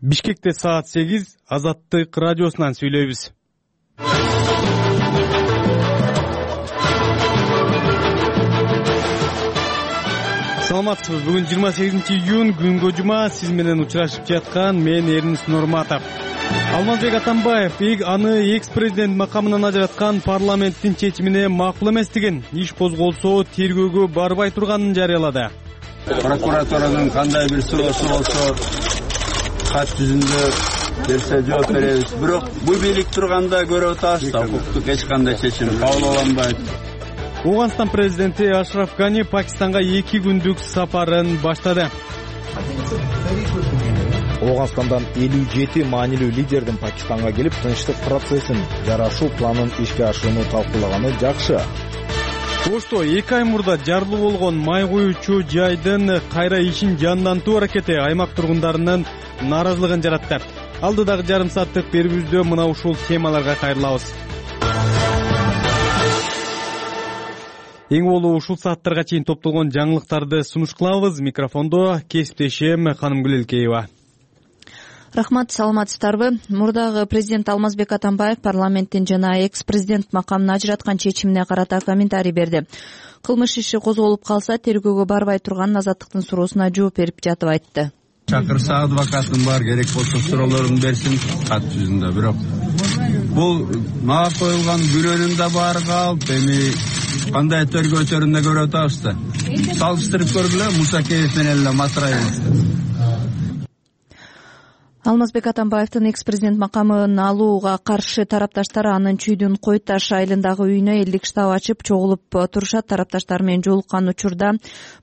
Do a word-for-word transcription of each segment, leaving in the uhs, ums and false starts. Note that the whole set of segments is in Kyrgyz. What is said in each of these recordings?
Бишкекте саат сегиз, Азаттык радиосунан сүйлөйбүз. Саламатсызбы? Бүгүн жыйырма сегизинчи июнь, күнгө жума. Сиз менен учурашып жаткан мен Эрнис Нурматов. Алмазбек Атамбаев аны экс-президент макамынан ажыраткан парламенттин чечимине макул эмес деген иш козголсо тергөөгө барбай турганын жарыялады. Прокуратуранын кандай бир суроосу болсо кат жүзүндө берсе жооп беребиз. Бирок бул бийлик турганда көрүп атабыз да, укуктук эч кандай чечим кабыл алынбайт. Ооганстан президенти Ашраф Гани Пакистанга эки күндүк сапарын баштады. Ооганстандан элүү жети маанилүү лидердин Пакистанга келип, тынчтык процессин, жарашуу планын ишке ашырууну талкуулаганы жакшы. Ошто эки ай мурда жарылуу болгон май куюучу жайдын кайра ишин жандантуу аракети аймак тургундарынын нааразылыгын жаратты. Алдыдагы жарым сааттык берүүбүздө мына ушул темаларга кайрылабыз. Эң болуу ушул сааттарга чейин топтолгон жаңылыктарды сунуш кылабыз. Микрофондо кесиптешим Ханымгүл Элкеева. Рахмат, саламатсыздарбы? Мурдагы президент Алмазбек Атамбаев парламенттин жана экс-президент макамын ажыраткан чечимине карата комментарий берди. Кылмыш иши козголуп калса, тергөөгө барбай турган Азаттыктын суроосуна жооп берип жатып айтты. Чакырса адвокатым бар, керек болсо суроолорун берсин кат жүзүндө. Бирок бул мага коюлган күнөөнүн да баары калп, эми кандай тергөө өтөрүн да көрүп атабыз да. Салыштырып көргүлө Мусакеев менен эле Матраевди. Алмазбек Атамбаевдин экс-президент макамын алууга каршы тарапташтар анын Чүйдүн Кой Таш айылындагы үйүнө элдик штаб ачып чогулуп турушат. Тарапташтар менен жолуккан учурда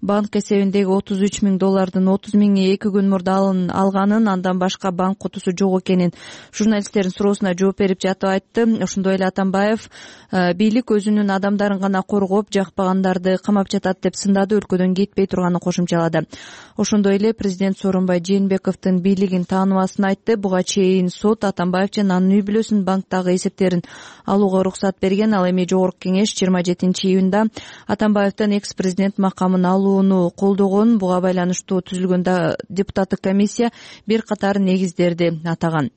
банк эсебиндеги отуз үч миң доллардын отуз миңи эки күн мурда алганын, андан башка банк кутусу жок экенин журналисттердин суроосуна жооп берип жатып айтты. Ошондой эле Атамбаев бийлик өзүнүн адамдарын гана коргоп, жакпагандарды камап жатат деп сындады, өлкөдөн кетпей турганын кошумчалады. Ошондой эле президент Сооронбай Жээнбековдун бийлигин тааныбасын айтты. Буга чейин сот Атамбаев жана анын үй бүлөсүнүн банктагы эсептерин алууга уруксат берген. Ал эми жогорку кеңеш жыйырма жетинчи июнда Атамбаевдин экс-президент макамын алууну колдогон. Буга байланыштуу түзүлгөн депутаттык комиссия бир катар негиздерди атаган.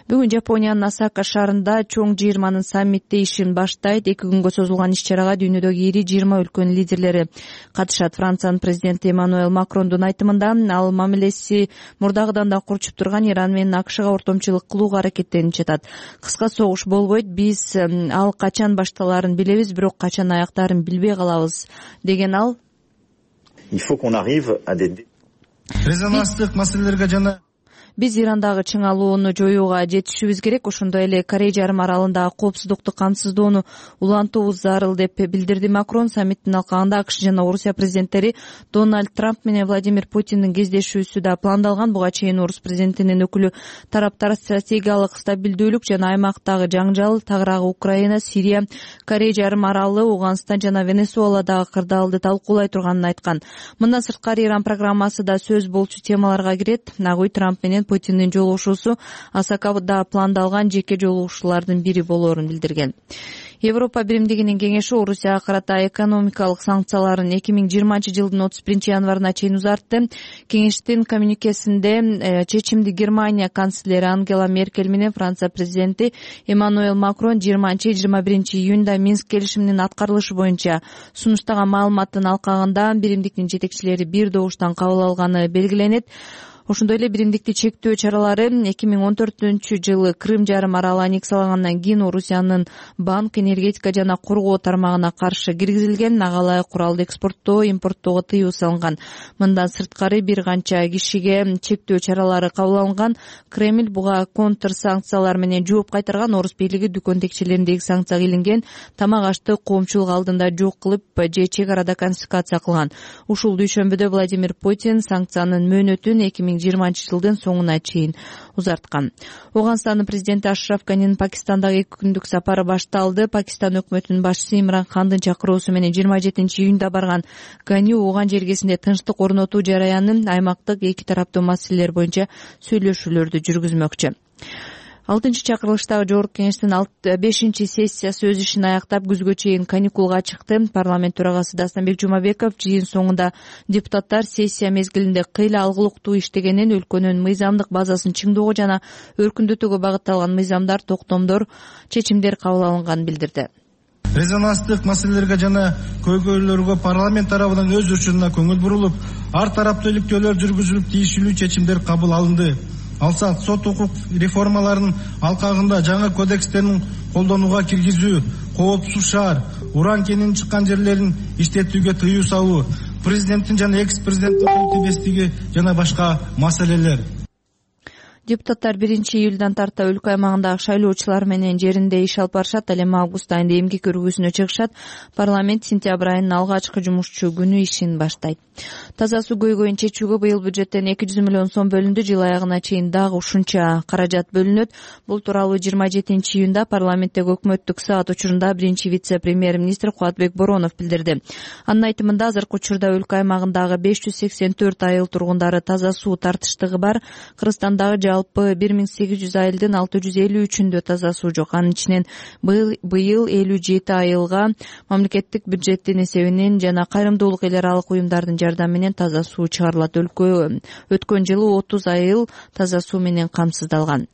Бүгүн Жапониянын Осака шаарында чоң жыйырманын саммити ишин баштайт. Эки күнгө созулган иш-чарага дүйнөдөгү ири жыйырма өлкөнүн лидерлери катышат. Франциянын президенти Эммануэл Макрондун айтымында, ал мамилеси мурдагыдан да курчуп турган Иран менен АКШга ортомчулук кылууга аракеттенип жатат. Кыска согуш болбойт, биз ал качан башталарын билебиз, бирок качан аяктарын билбей калабыз деген ал. Резонанстык маселелерге жана Биз Ирандагы чыңалууну жоюуга жетишибиз керек. Ошондой эле Корей жарым аралындагы коопсуздукту камсыздоону улантуубуз зарыл деп билдирди Макрон. Саммиттин алкагында АКШ жана Орусия президенттери Дональд Трамп менен Владимир Путиндин кездешүүсү да пландалган. Буга чейин Орус президентинин өкүлү тараптар стратегиялык стабилдүүлүк жана аймактагы жаңжал, тагыраагы Украина, Сирия, Корей жарым аралы, Ооганстан жана Венесуэладагы кырдаалды талкуулай турганын айткан. Мындан сырткары Иран программасы да сөз болчу темаларга кирет. Нагуй Трамп менен Путиндин жолугушуусу Осакада пландалган жеке жолугушуулардын бири болоорун билдирген. Европа биримдигинин кеңеши Орусияга карата экономикалык санкцияларын эки миң жыйырманчы жылдын отуз биринчи январына чейин узартты. Кеңештин коммюникесинде чечимди Германия канцлери Ангела Меркель менен Франция президенти Эммануэл Макрон жыйырманчы жыйырма биринчи июнда Минск келишиминин аткарылышы боюнча сунуштаган маалыматтын алкагында биримдиктин жетекчилери бир добуштан кабыл алганы белгиленет. Ошондой эле биримдикти чектөө чаралары эки миң он төртүнчү жылы Крым жарым аралы аннексиялагандан кийин Орусиянын банк, энергетика жана коргоо тармагына каршы киргизилген. Ага ылайык куралды экспорттоо, импорттоого тыюу салынган. Мындан сырткары бир канча кишиге чектөө чаралары кабыл алынган. Кремль буга контр санкциялар менен жооп кайтарган. Орус бийлиги дүкөн текчелериндеги санкция кыйылган тамак ашты коомчулук алдында жок кылып же чек арада конфискация кылган. Ушул дүйшөмбүдө Владимир Путин санкциянын мөөнөтүн эки миң жыйырманчы жылдын соңуна чейин узарткан. Ооганстандын президенти Ашраф Ганинин Пакистандагы эки күндүк сапары башталды. Пакистан өкмөтүнүн башчысы Имран Хандын чакыруусу менен жыйырма жетинчи июнда барган Гани Ооган жергесинде тынчтык орнотуу жараянын аймактык эки тараптуу маселелер боюнча сүйлөшүүлөрдү жүргүзмөкчү. алтынчы чакырылыштагы жогорку кеңештин бешинчи сессиясы өз ишин аяктап күзгө чейин каникулга чыкты. Парламент төрагасы Дастанбек Жумабеков жыйын соңунда депутаттар сессия мезгилинде кыйла алгылыктуу иштегенин, өлкөнүн мыйзамдык базасын чыңдоого жана өркүндөтүүгө багытталган мыйзамдар, токтомдор, чечимдер кабыл алынганын билдирди. Резонанстык маселелерге жана көйгөйлөргө парламент тарабынан өз учурунда көңүл бурулуп, ар тараптуу иликтөөлөр жүргүзүлүп, тиешелүү чечимдер кабыл алынды. Алсак, сот укук реформаларынын алкагында жаңы кодекстерин колдонууга киргизүү, коопсуз шаар, уран кенинин чыккан жерлерин иштетүүгө тыюу салуу, президенттин жана экс-президенттин кол тийбестиги жана башка маселелер. Депутаттар биринчи июлдан тарта өлкө аймагындагы шайлоочулар менен жеринде иш алып барышат. Ал эми август айында эмгек көргөзүүнө чыгышат. Парламент сентябрь айынын алгачкы жумушчу күнү ишин баштайт. Таза суу көйгөйүн чечүүгө быйыл бюджеттен эки жүз миллион сом бөлүндү. Жыл аягына чейин дагы ушунча каражат бөлүнөт. Бул тууралуу жыйырма жетинчи июнда парламенттеги өкмөттүк саат учурунда биринчи вице-премьер-министр Кубатбек Боронов билдирди. Анын айтымында азыркы учурда өлкө аймагындагы беш жүз сексен төрт айыл тургундары таза суу тартыштыгы бар. Кыргызстандагы жалпы бир миң сегиз жүз айылдын алты жүз элүү үчүндө таза суу жок. Анын ичинен быйыл элүү жети айылга мамлекеттик бюджеттин эсебинен жана кайрымдуулук эл аралык уюмдардын жардамы менен таза суу чыгарылат. Өлкө өткөн жылы отуз айыл таза суу менен камсыздалган.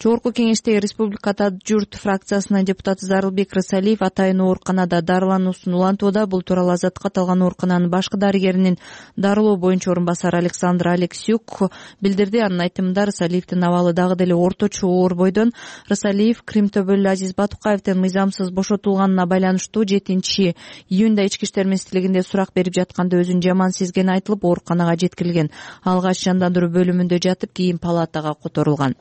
Жогорку кеңештеги Республикада журт фракциясынын депутаты Зарылбек Рысалиев атайын ооруканада дарылануусун улантууда. Бул тууралуу Азаттыкка аталган оорукананын башкы дарыгеринин дарылоо боюнча орун басары Александр Алексюк билдирди. Анын айтымында Рысалиевдин абалы дагы деле орточо оор бойдон. Рысалиев Крим төбөлү Азиз Батукаевдин мыйзамсыз бошотулганына байланыштуу жетинчи июнда ички иштер министрлигинде сурак берип жатканда өзүн жаман сезгени айтылып, ооруканага жеткирилген. Алгач жандандыруу бөлүмүндө жатып, кийин палатага которулган.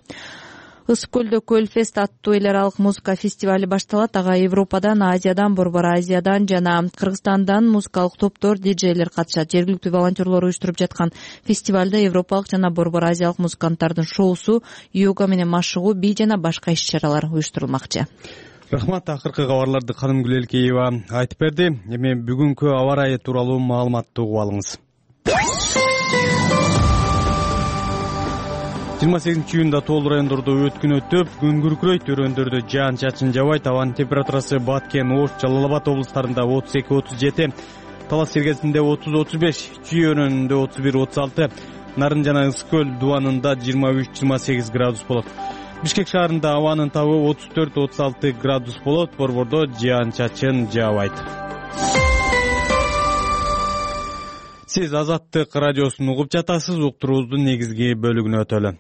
Ысык көлдө Көлфест аттуу эл аралык музыка фестивали башталат. Ага Европадан, Азиядан, Борбор Азиядан жана Кыргызстандан музыкалык топтор, диджейлер катышат. Жергиликтүү волонтерлор уюштуруп жаткан фестивалда европалык жана Борбор Азиялык музыканттардын шоусу, йога менен машыгуу, бий жана башка иш-чаралар уюштурулмакчы. Рахмат. Акыркы кабарларды Канымгүл Элкеева айтып берди. Эми бүгүнкү аба ырайы тууралуу маалыматты угуп алыңыз. жыйырма сегизинчи июнда тоол райондордо өткүн өтүп, күн күркүрөйт, өрөөндөрдө жаан чачын жабайт. Абанын температурасы Баткен, Ош, Жалал Абад облустарында отуз эки отуз жети, Талас Сергесинде отуз отуз беш, Чүй өрөөнүндө отуз бир отуз алты, Нарын жана Ысык көл дубанында жыйырма үч жыйырма сегиз градус болот. Бишкек шаарында абанын табы отуз төрт отуз алты градус болот. Борбордо жаан чачын жаабайт. Сиз Азаттык радиосун угуп жатасыз. Уктуруубуздун негизги бөлүгүнө өтөлү.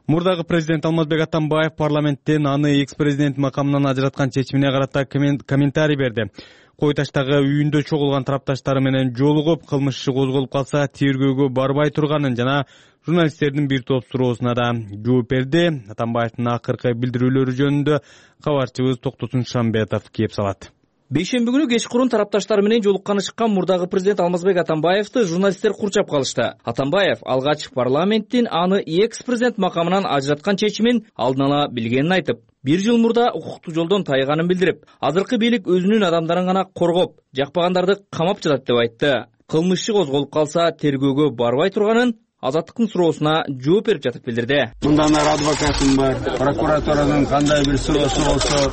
Мурдагы президент Алмазбек Атамбаев парламенттен аны экс-президент макамынан ажыраткан чечимине карата комментарий берди. Кой таштагы үйүндө чогулган тарапташтары менен жолугуп, кылмыш иши козголуп калса тергөөгө барбай турганын жана журналисттердин бир топ суроосуна да жооп берди. Атамбаевдин акыркы билдирүүлөрү жөнүндө кабарчыбыз Токтосун Шамбетов кеп салат. Бейшемби күнү кечкурун тарапташтары менен жолукканы чыккан мурдагы президент Алмазбек Атамбаевди журналисттер курчап калышты. Атамбаев алгач парламенттин аны экс-президент макамынан ажыраткан чечимин алдын ала билгенин айтып, бир жыл мурда укуктуу жолдон тайганын билдирип, азыркы бийлик өзүнүн адамдарын гана коргоп, жакпагандарды камап жатат деп айтты. Кылмыш иши козголуп калса тергөөгө барбай турганын Азаттыктын суроосуна жооп берип жатып билдирди. Мындан ары адвокатым бар, прокуратуранын кандай бир суроосу болсо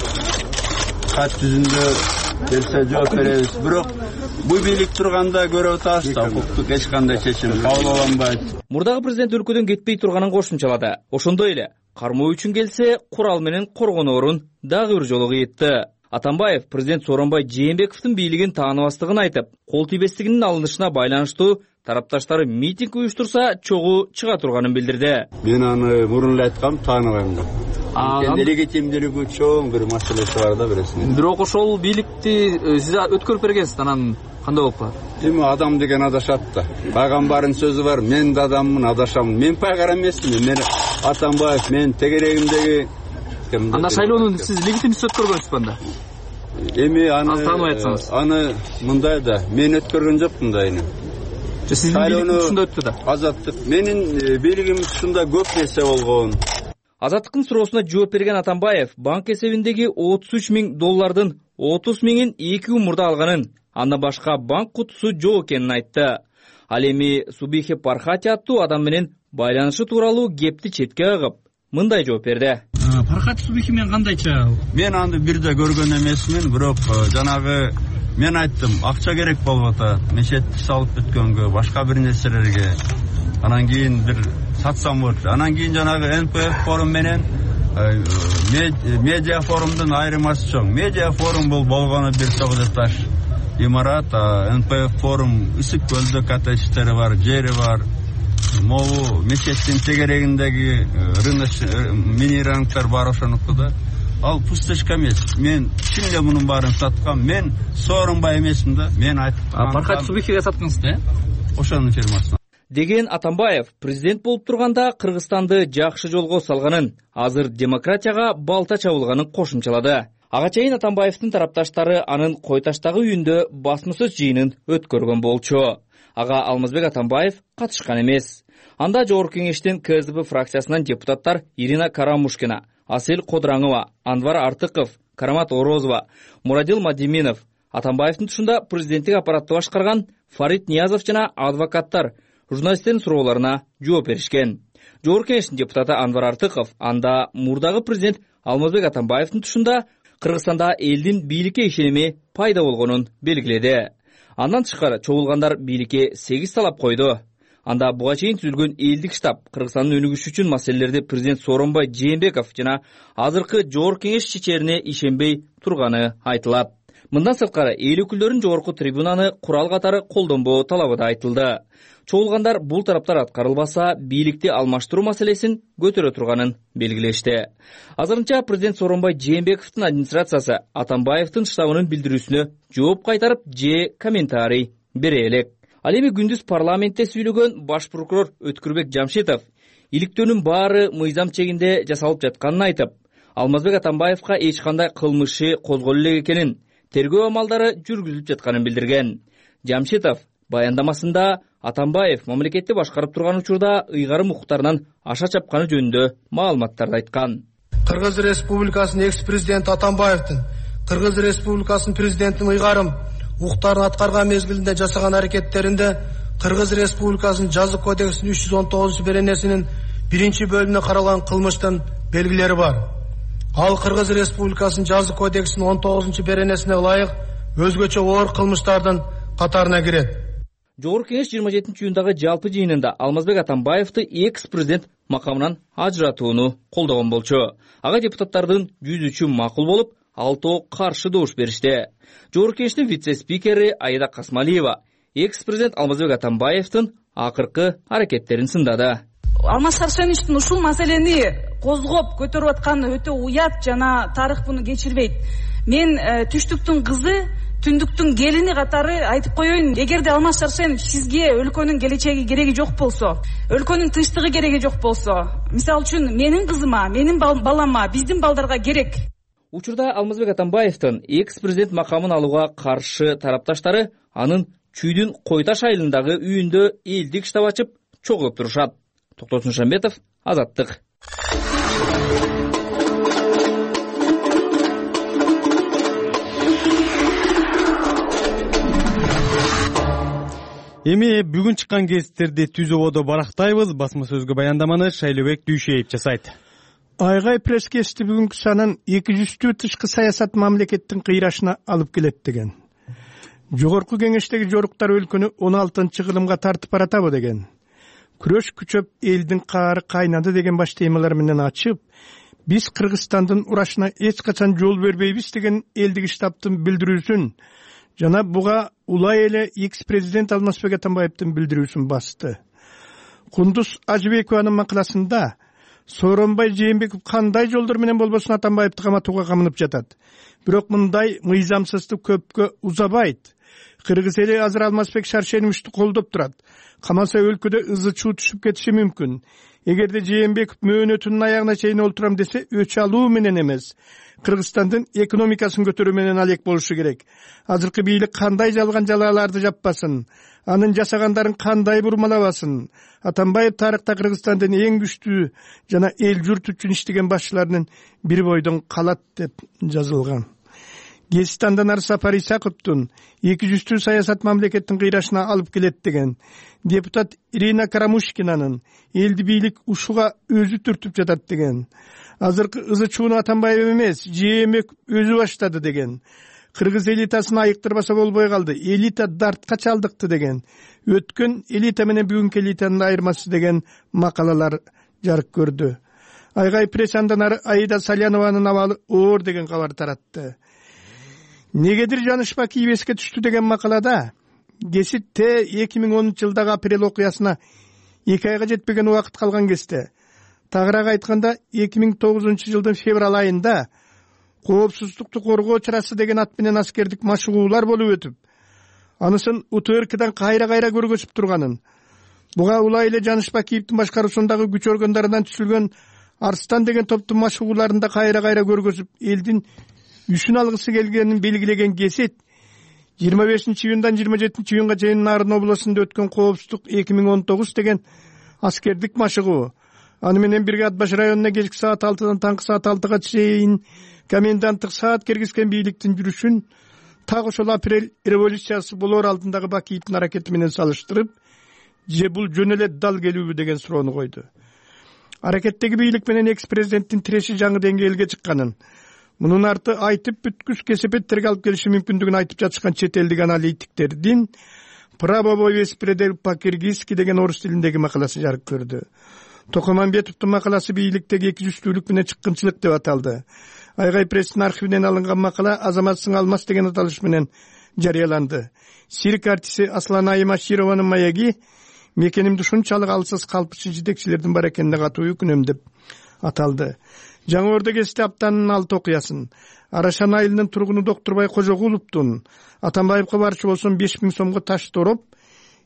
кат жүзүндө берсе жооп беребиз. Бирок бул бийлик турганда көрүп атабыз да, укуктук эч кандай чечим кабыл алынбайт. Мурдагы президент өлкөдөн кетпей турганын кошумчалады. Ошондой эле кармоо үчүн келсе, курал менен коргоноорун дагы бир жолу кыйтты. Атамбаев президент Сооронбай Жээнбековдун бийлигин тааныбастыгын айтып, кол тийбестигинин алынышына байланыштуу тарапташтары митинг уюштурса чогуу чыга турганын билдирди. Мен аны мурун эле айткам, тааныбайм деп. Анын легитимдүүлүгү чоң бир маселеси бар да биресин. Бирок ошол бийликти сиз өткөрүп бергенсиз, анан кандай болуп калат? Эми адам деген адашат да. Пайгамбардын сөзү бар, мен да адаммын, адашамын. Мен пайгамбар эмесмин, мен Атамбаев, мен тегерегимдеги. Анда шайлоону сиз легитимдүү өткөргөнсүзбү анда? Эми аны аны мындай да, мен өткөргөн жокмун да эми. Сиздин бийлигиңиз ушунда өттү да. Азаттык. Менин бийлигим ушунда көп нерсе болгон. Азаттыктын суроосуна жооп берген Атамбаев банк эсебиндеги отуз үч миң доллардын отуз миңин эки күн мурда алганын, андан башка банк кутусу жок экенин айтты. Ал эми Субихи Пархати аттуу адам менен байланышы тууралуу кепти четке агып, мындай жооп берди. Фархат Субихи менен кандайча? Мен аны бирде көргөн эмесмин, бирок жанагы мен айттым, акча керек болуп атат, мечетти салып бүткөнгө, башка бир нерселерге. Анан кийин бир сатсам болчу. Анан кийин жанагы эн пэ эф форум менен медиа форумдун айырмасы чоң. Медиа форум бул болгону бир тогуз этаж имарат, эн пэ эф форум Ысык көлдө коттедждери бар, жери бар. Могу мечеттин тегерегиндеги рыночный мини рыноктор бар ошонуку да. Ал пустышка эмес. Мен чын эле мунун баарын саткам. Мен Сооронбай эмесмин да. Мен айттым. Фархат Субихиге саткансыз да? Ошонун фирмасына. Деген Атамбаев президент болуп турганда Кыргызстанды жакшы жолго салганын, азыр демократияга балта чабылганын кошумчалады. Ага чейин Атамбаевдин тарапташтары анын Кой таштагы үйүндө басма сөз жыйынын өткөргөн болчу. Ага Алмазбек Атамбаев катышкан эмес. Анда Жогорку кеңештин ка эс дэ бэ фракциясынан депутаттар Ирина Карамушкина, Асель Кодыраңова, Анвар Артыков, Карамат Орозова, Мурадил Мадиминов, Атамбаевдин тушунда президенттик аппаратты башкарган Фарид Ниязов жана адвокаттар журналисттердин суроолоруна жооп беришкен. Жогорку кеңештин депутаты Анвар Артыков анда мурдагы президент Алмазбек Атамбаевдин тушунда Кыргызстанда элдин бийликке ишеними пайда болгонун белгиледи. Андан тышкары чогулгандар бийликке сегиз талап койду. Анда буга чейин түзүлгөн элдик штаб Кыргызстандын өнүгүшү үчүн маселелерди президент Сооронбай Жээнбеков жана азыркы Жогорку кеңеш чечерине ишенбей турганы айтылат. Мындан сырткары эл өкүлдөрүнүн жогорку трибунаны курал катары колдонбоо талабы да айтылды. Чогулгандар бул тараптар аткарылбаса, бийликти алмаштыруу маселесин көтөрө турганын белгилешти. Азырынча президент Сооронбай Жээнбековдун администрациясы Атамбаевдин штабынын билдирүүсүнө жооп кайтарып, же комментарий бере элек. Ал эми күндүз парламентте сүйлөгөн баш прокурор Өткүрбек Жамшитов иликтөөнүн баары мыйзам чегинде жасалып жатканын айтып, Алмазбек Атамбаевга эч кандай кылмышы козголо элек экенин, тергөө амалдары жүргүзүлүп жатканын билдирген. Жамшитов баяндамасында Атамбаев мамлекетти башкарып турган учурда ыйгарым укуктарынан аша чапканы жөнүндө маалыматтарды айткан. Кыргыз Республикасынын экс-президенти Атамбаевдин Кыргыз Республикасынын президентин ыйгарым укуктарын аткарган мезгилинде жасаган аракеттеринде Кыргыз Республикасынын жаза кодексинин үч жүз он тогузунчу беренесинин биринчи бөлүмүнө каралган кылмыштын белгилери бар. Ал Кыргыз Республикасынын жаза кодексинин он тогузунчу беренесине ылайык өзгөчө оор кылмыштардын катарына кирет. Жогорку кеңеш жыйырма жетинчи июндагы жалпы жыйынында Алмазбек Атамбаевди экс-президент макамынан ажыратууну колдогон болчу. Ага депутаттардын жүз үчү макул болуп, алтоо каршы добуш беришти. Жогорку кеңештин вице-спикери Аида Касмалиева экс-президент Алмазбек Атамбаевдин акыркы аракеттерин сындады. Алмаз Шаршеновичтин ушул маселени козгоп көтөрүп атканы өтө уят жана тарых буну кечирбейт. Мен түштүктүн кызы, түндүктүн келини катары айтып коеюн, эгерде Алмаз Шаршенович сизге өлкөнүн келечеги кереги жок болсо, өлкөнүн тынчтыгы кереги жок болсо, мисалы үчүн менин кызыма, менин балама, биздин балдарга керек. Учурда Алмазбек Атамбаевдин экс-президент макамын алууга каршы тарапташтары анын Чүйдүн Кой таш айылындагы үйүндө элдик штаб ачып чогулуп турушат. Токтосун Шамбетов, Азаттык. Эми бүгүн чыккан гезиттерди түз ободо барактайбыз. Басма сөзгө баяндаманы Шайлообек Дүйшеев жасайт. Айгай пресс-кешти бүгүнкү санын эки жүздүү тышкы саясат мамлекеттин кыйрашына алып келет деген. Жогорку кеңештеги жоруктар өлкөнү он алтынчы кылымга тартып баратабы деген. Күрөш күчөп элдин каары кайнады деген баш темалар менен ачып, биз Кыргызстандын урашына эч качан жол бербейбиз деген элдик штабтын билдирүүсүн жана буга улай эле экс-президент Алмазбек Атамбаевдин билдирүүсүн басты. Кундуз Ажыбекованын макаласында Сооронбай Жээнбеков кандай жолдор менен болбосун Атамбаевди каматууга камынып жатат. Бирок мындай мыйзамсыздык көпкө узабайт. Кыргыз эли азыр Алмазбек Шаршеновичти колдоп турат. Камаса өлкөдө ызы чуу түшүп кетиши мүмкүн. Эгерде Жээнбеков мөөнөтүнүн аягына чейин олтурам десе, өч алуу менен эмес, Кыргызстандын экономикасын көтөрүү менен алек болушу керек. Азыркы бийлик кандай жалган жалааларды жаппасын, анын жасагандарын кандай бурмалабасын. Атамбаев тарыхта Кыргызстандын эң күчтүү жана эл журт үчүн иштеген башчыларынын бир бойдон калат деп жазылган. Гезистандан ар Сапар Исаковдун эки жүздүү саясат мамлекеттин кыйрашына алып келет деген. Депутат Ирина Карамушкинанын элди бийлик ушуга өзү түртүп жатат деген. азыркы ызы чууну Атамбаев эмес, Жээнбеков өзү баштады деген. Кыргыз элитасын айыктырбаса болбой калды. Элита дартка чалдыкты деген. Өткөн элита менен бүгүнкү элитанын айырмасы деген макалалар жарык көрдү. Айгай пресс андан ары Аида Салянованын абалы оор деген кабар таратты. Негедир Жанышпак ийбеске түштү деген макалада Геситте эки миң онунчу жылдагы апрель окуясына эки айга жетпеген убакыт калган кезде, тагыраак айтканда эки миң тогузунчу жылдын февраль айында коопсуздукту коргоо чарасы деген ат менен аскердик машыгуулар болуп өтүп, анысын УТРКдан кайра-кайра көргөзүп турганын, буга улай эле Жанышпакиевдин башкаруусундагы күч органдарынан түзүлгөн Арстан деген топтун машыгууларында кайра-кайра көргөзүп, элдин үчүн алгысы келгенин белгилеген Гесит жыйырма бешинчи июндан жыйырма жетинчи июнга чейин Нарын областында өткөн коопсуздук эки миң он тогуз деген аскердик машыгуу, аны менен бирге Ат баш районуна кечки саат алтыдан таңкы саат алтыга чейин коменданттык саат киргизген бийликтин жүрүшүн так ошол апрель революциясы болоор алдындагы Бакиевдин аракети менен салыштырып, же бул жөн эле дал келүүбү деген суроону койду. Аракеттеги бийлик менен экс президенттин тиреши жаңы деңгээлге чыкканын, мунун арты айтып бүткүс кесепеттерге алып келиши мүмкүндүгүн айтып жатышкан чет элдик аналитиктердин «Правовой беспредел по-киргизски» деген орус тилиндеги макаласы жарык көрдү. Токомамбетовдун макаласы бийликтеги эки жүздүүлүк менен чыккынчылык деп аталды. Айгай пресстин архивинен алынган макала «Азамат Сыңалмас» деген аталыш менен жарыяланды. Цирк артисти Аслан Айым Ашированын маеги «Мекенимди ушунчалык алсыз калпчы жетекчилердин бар экенине катуу өкүнөм» деп аталды. Жаңы Ордо Гезитте аптанын алты окуясын Арашан айылынын тургуну Доктурбай Кожогуловдун Атамбаевге барчу болсом беш миң сомго таш тороп,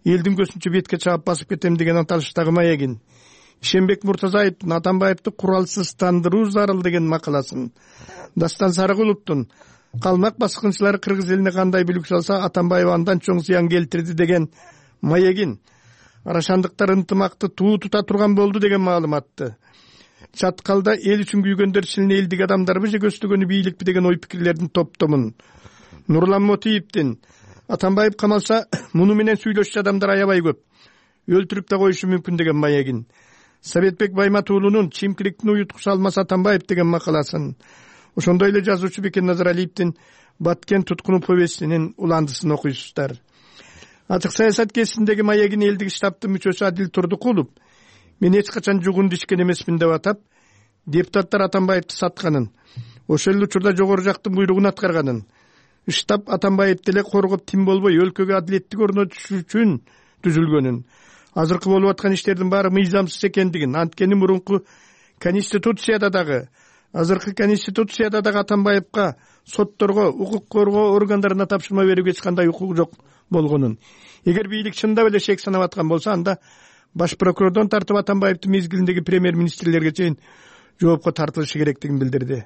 элдин көзүнчө бетке чаап басып кетем деген аталыштагы маегин, Ишенбек Муртазаевдин Атамбаевди куралсыздандыруу зарыл деген макаласын, Дастан Сарыгуловдун калмак баскынчылары кыргыз элине кандай бүлүк салса Атамбаев андан чоң зыян келтирди деген маегин, Арашандыктар ынтымакты туу тута турган болду деген маалыматты, Чаткалда эл үчүн күйгөндөр силин элдик адамдарбы же көстөгөнү бийликпи деген ой пикирлердин топтомун, Нурлан Мотиевдин Атамбаев камалса муну менен сүйлөшчү адамдар аябай көп, өлтүрүп да коюшу мүмкүн деген маегин, Советбек Байматуулунун чимкиликтин уюткусу Алмаз Атамбаев деген макаласын, ошондой эле жазуучу Бекен Назаралиевдин Баткен туткуну повестинин уландысын окуйсуздар. Ачык саясат кезиндеги маегин элдик штабтын мүчөсү Адил Турдукулов «Мен эч качан жугун дишкен эмесмин» деп атап, депутаттар Атамбаевди сатканын, ошол эле учурда жогору жактын буйругун аткарганын, штаб Атамбаевди эле коргоп тим болбой өлкөгө адилеттик орнотуш үчүн түзүлгөнүн, азыркы болуп аткан иштердин баары мыйзамсыз экендигин, анткени мурунку конституцияда дагы, азыркы конституцияда дагы Атамбаевга сотторго, укук коргоо органдарына тапшырма берүүгө эч кандай укук жок болгонун, эгер бийлик чындап эле шек санап аткан болсо, анда баш прокурордон тартып Атамбаевдин мезгилиндеги премьер-министрлерге чейин жоопко тартылышы керектигин билдирди.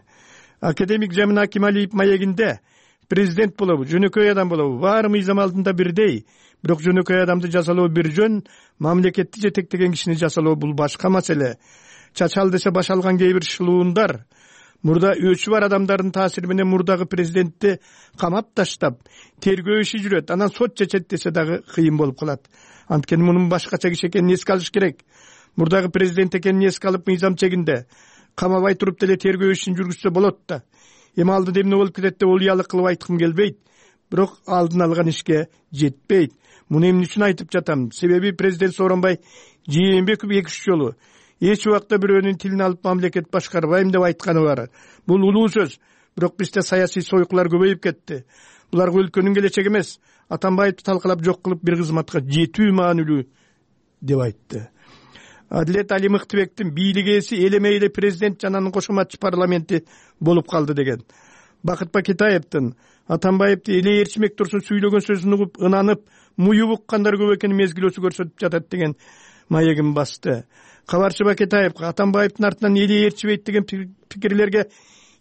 Академик Жамин Акималиев маегинде президент болобу, жөнөкөй адам болобу, баары мыйзам алдында бирдей, бирок жөнөкөй адамды жазалоо бир жөн, мамлекетти жетектеген кишини жазалоо бул башка маселе. Чачал десе баш алган кээ бир шылуундар мурда өчү бар адамдардын таасири менен мурдагы президентти камап таштап, тергөө иши жүрөт, анан сот чечет десе дагы кыйын болуп калат. Анткени мунун башкача киши экенин эске алыш керек. Мурдагы президент экенин эске алып мыйзам чегинде камабай туруп деле тергөө ишин жүргүзсө болот да. Эми алдыда эмне болуп кетет деп уялык кылып айткым келбейт, бирок алдын алган ишке жетпейт. Муну эмне үчүн айтып жатам? Себеби президент Сооронбай Жээнбеков эки үч жолу эч убакта бирөөнүн тилин алып мамлекет башкарбайм деп айтканы бар. Бул улуу сөз, бирок бизде саясий сойкулар көбөйүп кетти. Буларга өлкөнүн келечеги эмес, Атамбаевди талкалап жок кылып бир кызматка жетүү маанилүү деп айтты. Адилет Али Мыктыбектин бийлик ээси элемей эле президент жананын кошоматчы парламенти болуп калды деген. Бакыт Бакетаевдин Атамбаевди эле Эрчимек Турсун сүйлөгөн сөзүн угуп, ынанып, муюп уккандар көп экенин мезгил өсү көрсөтүп жатат деген маегин басты. Кабарчы Бакетаевга Атамбаевдин артынан эле ээрчибейт деген пикирлерге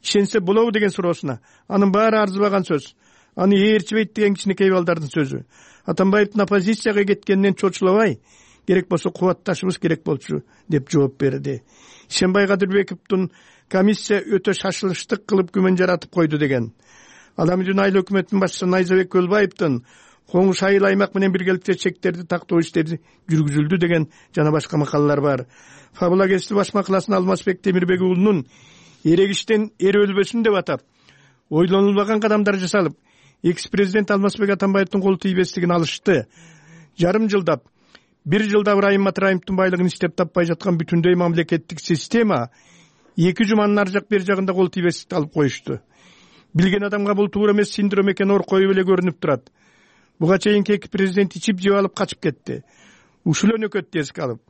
ишенсе болобу деген суроосуна, анын баары арзыбаган сөз. Аны ээрчибейт деген кичинекей балдардын сөзү. Атамбаевдин оппозицияга кеткенинен чочулабай, керек болсо кубатташыбыз керек болчу деп жооп берди. Ишенбай Кадырбековдун комиссия өтө шашылыштык кылып күмөн жаратып койду деген. Ал эми жөн айыл өкмөтүнүн башчысы Найзабек Көлбаевдин коңуш айыл аймак менен биргеликте чектерди тактоо иштери жүргүзүлдү деген жана башка макалалар бар. Фабула Кести баш макаласын Алмазбек Темирбек уулунун эрегиштен эр өлбөсүн деп атап, ойлонулбаган кадамдар жасалып, экс президент Алмазбек Атамбаевдин кол тийбестигин алышты. Жарым жылдап, бир жылда Ыбрайым Матраимовдун байлыгын иштеп таппай жаткан бүтүндөй мамлекеттик система эки жуманын ар жак бер жагында кол тийбестикти алып коюшту. Билген адамга бул туура эмес синдром экени ор коюп эле көрүнүп турат. Буга чейинки эки президент ичип жеп алып качып кетти. Ушул өнөкөттү эске алып,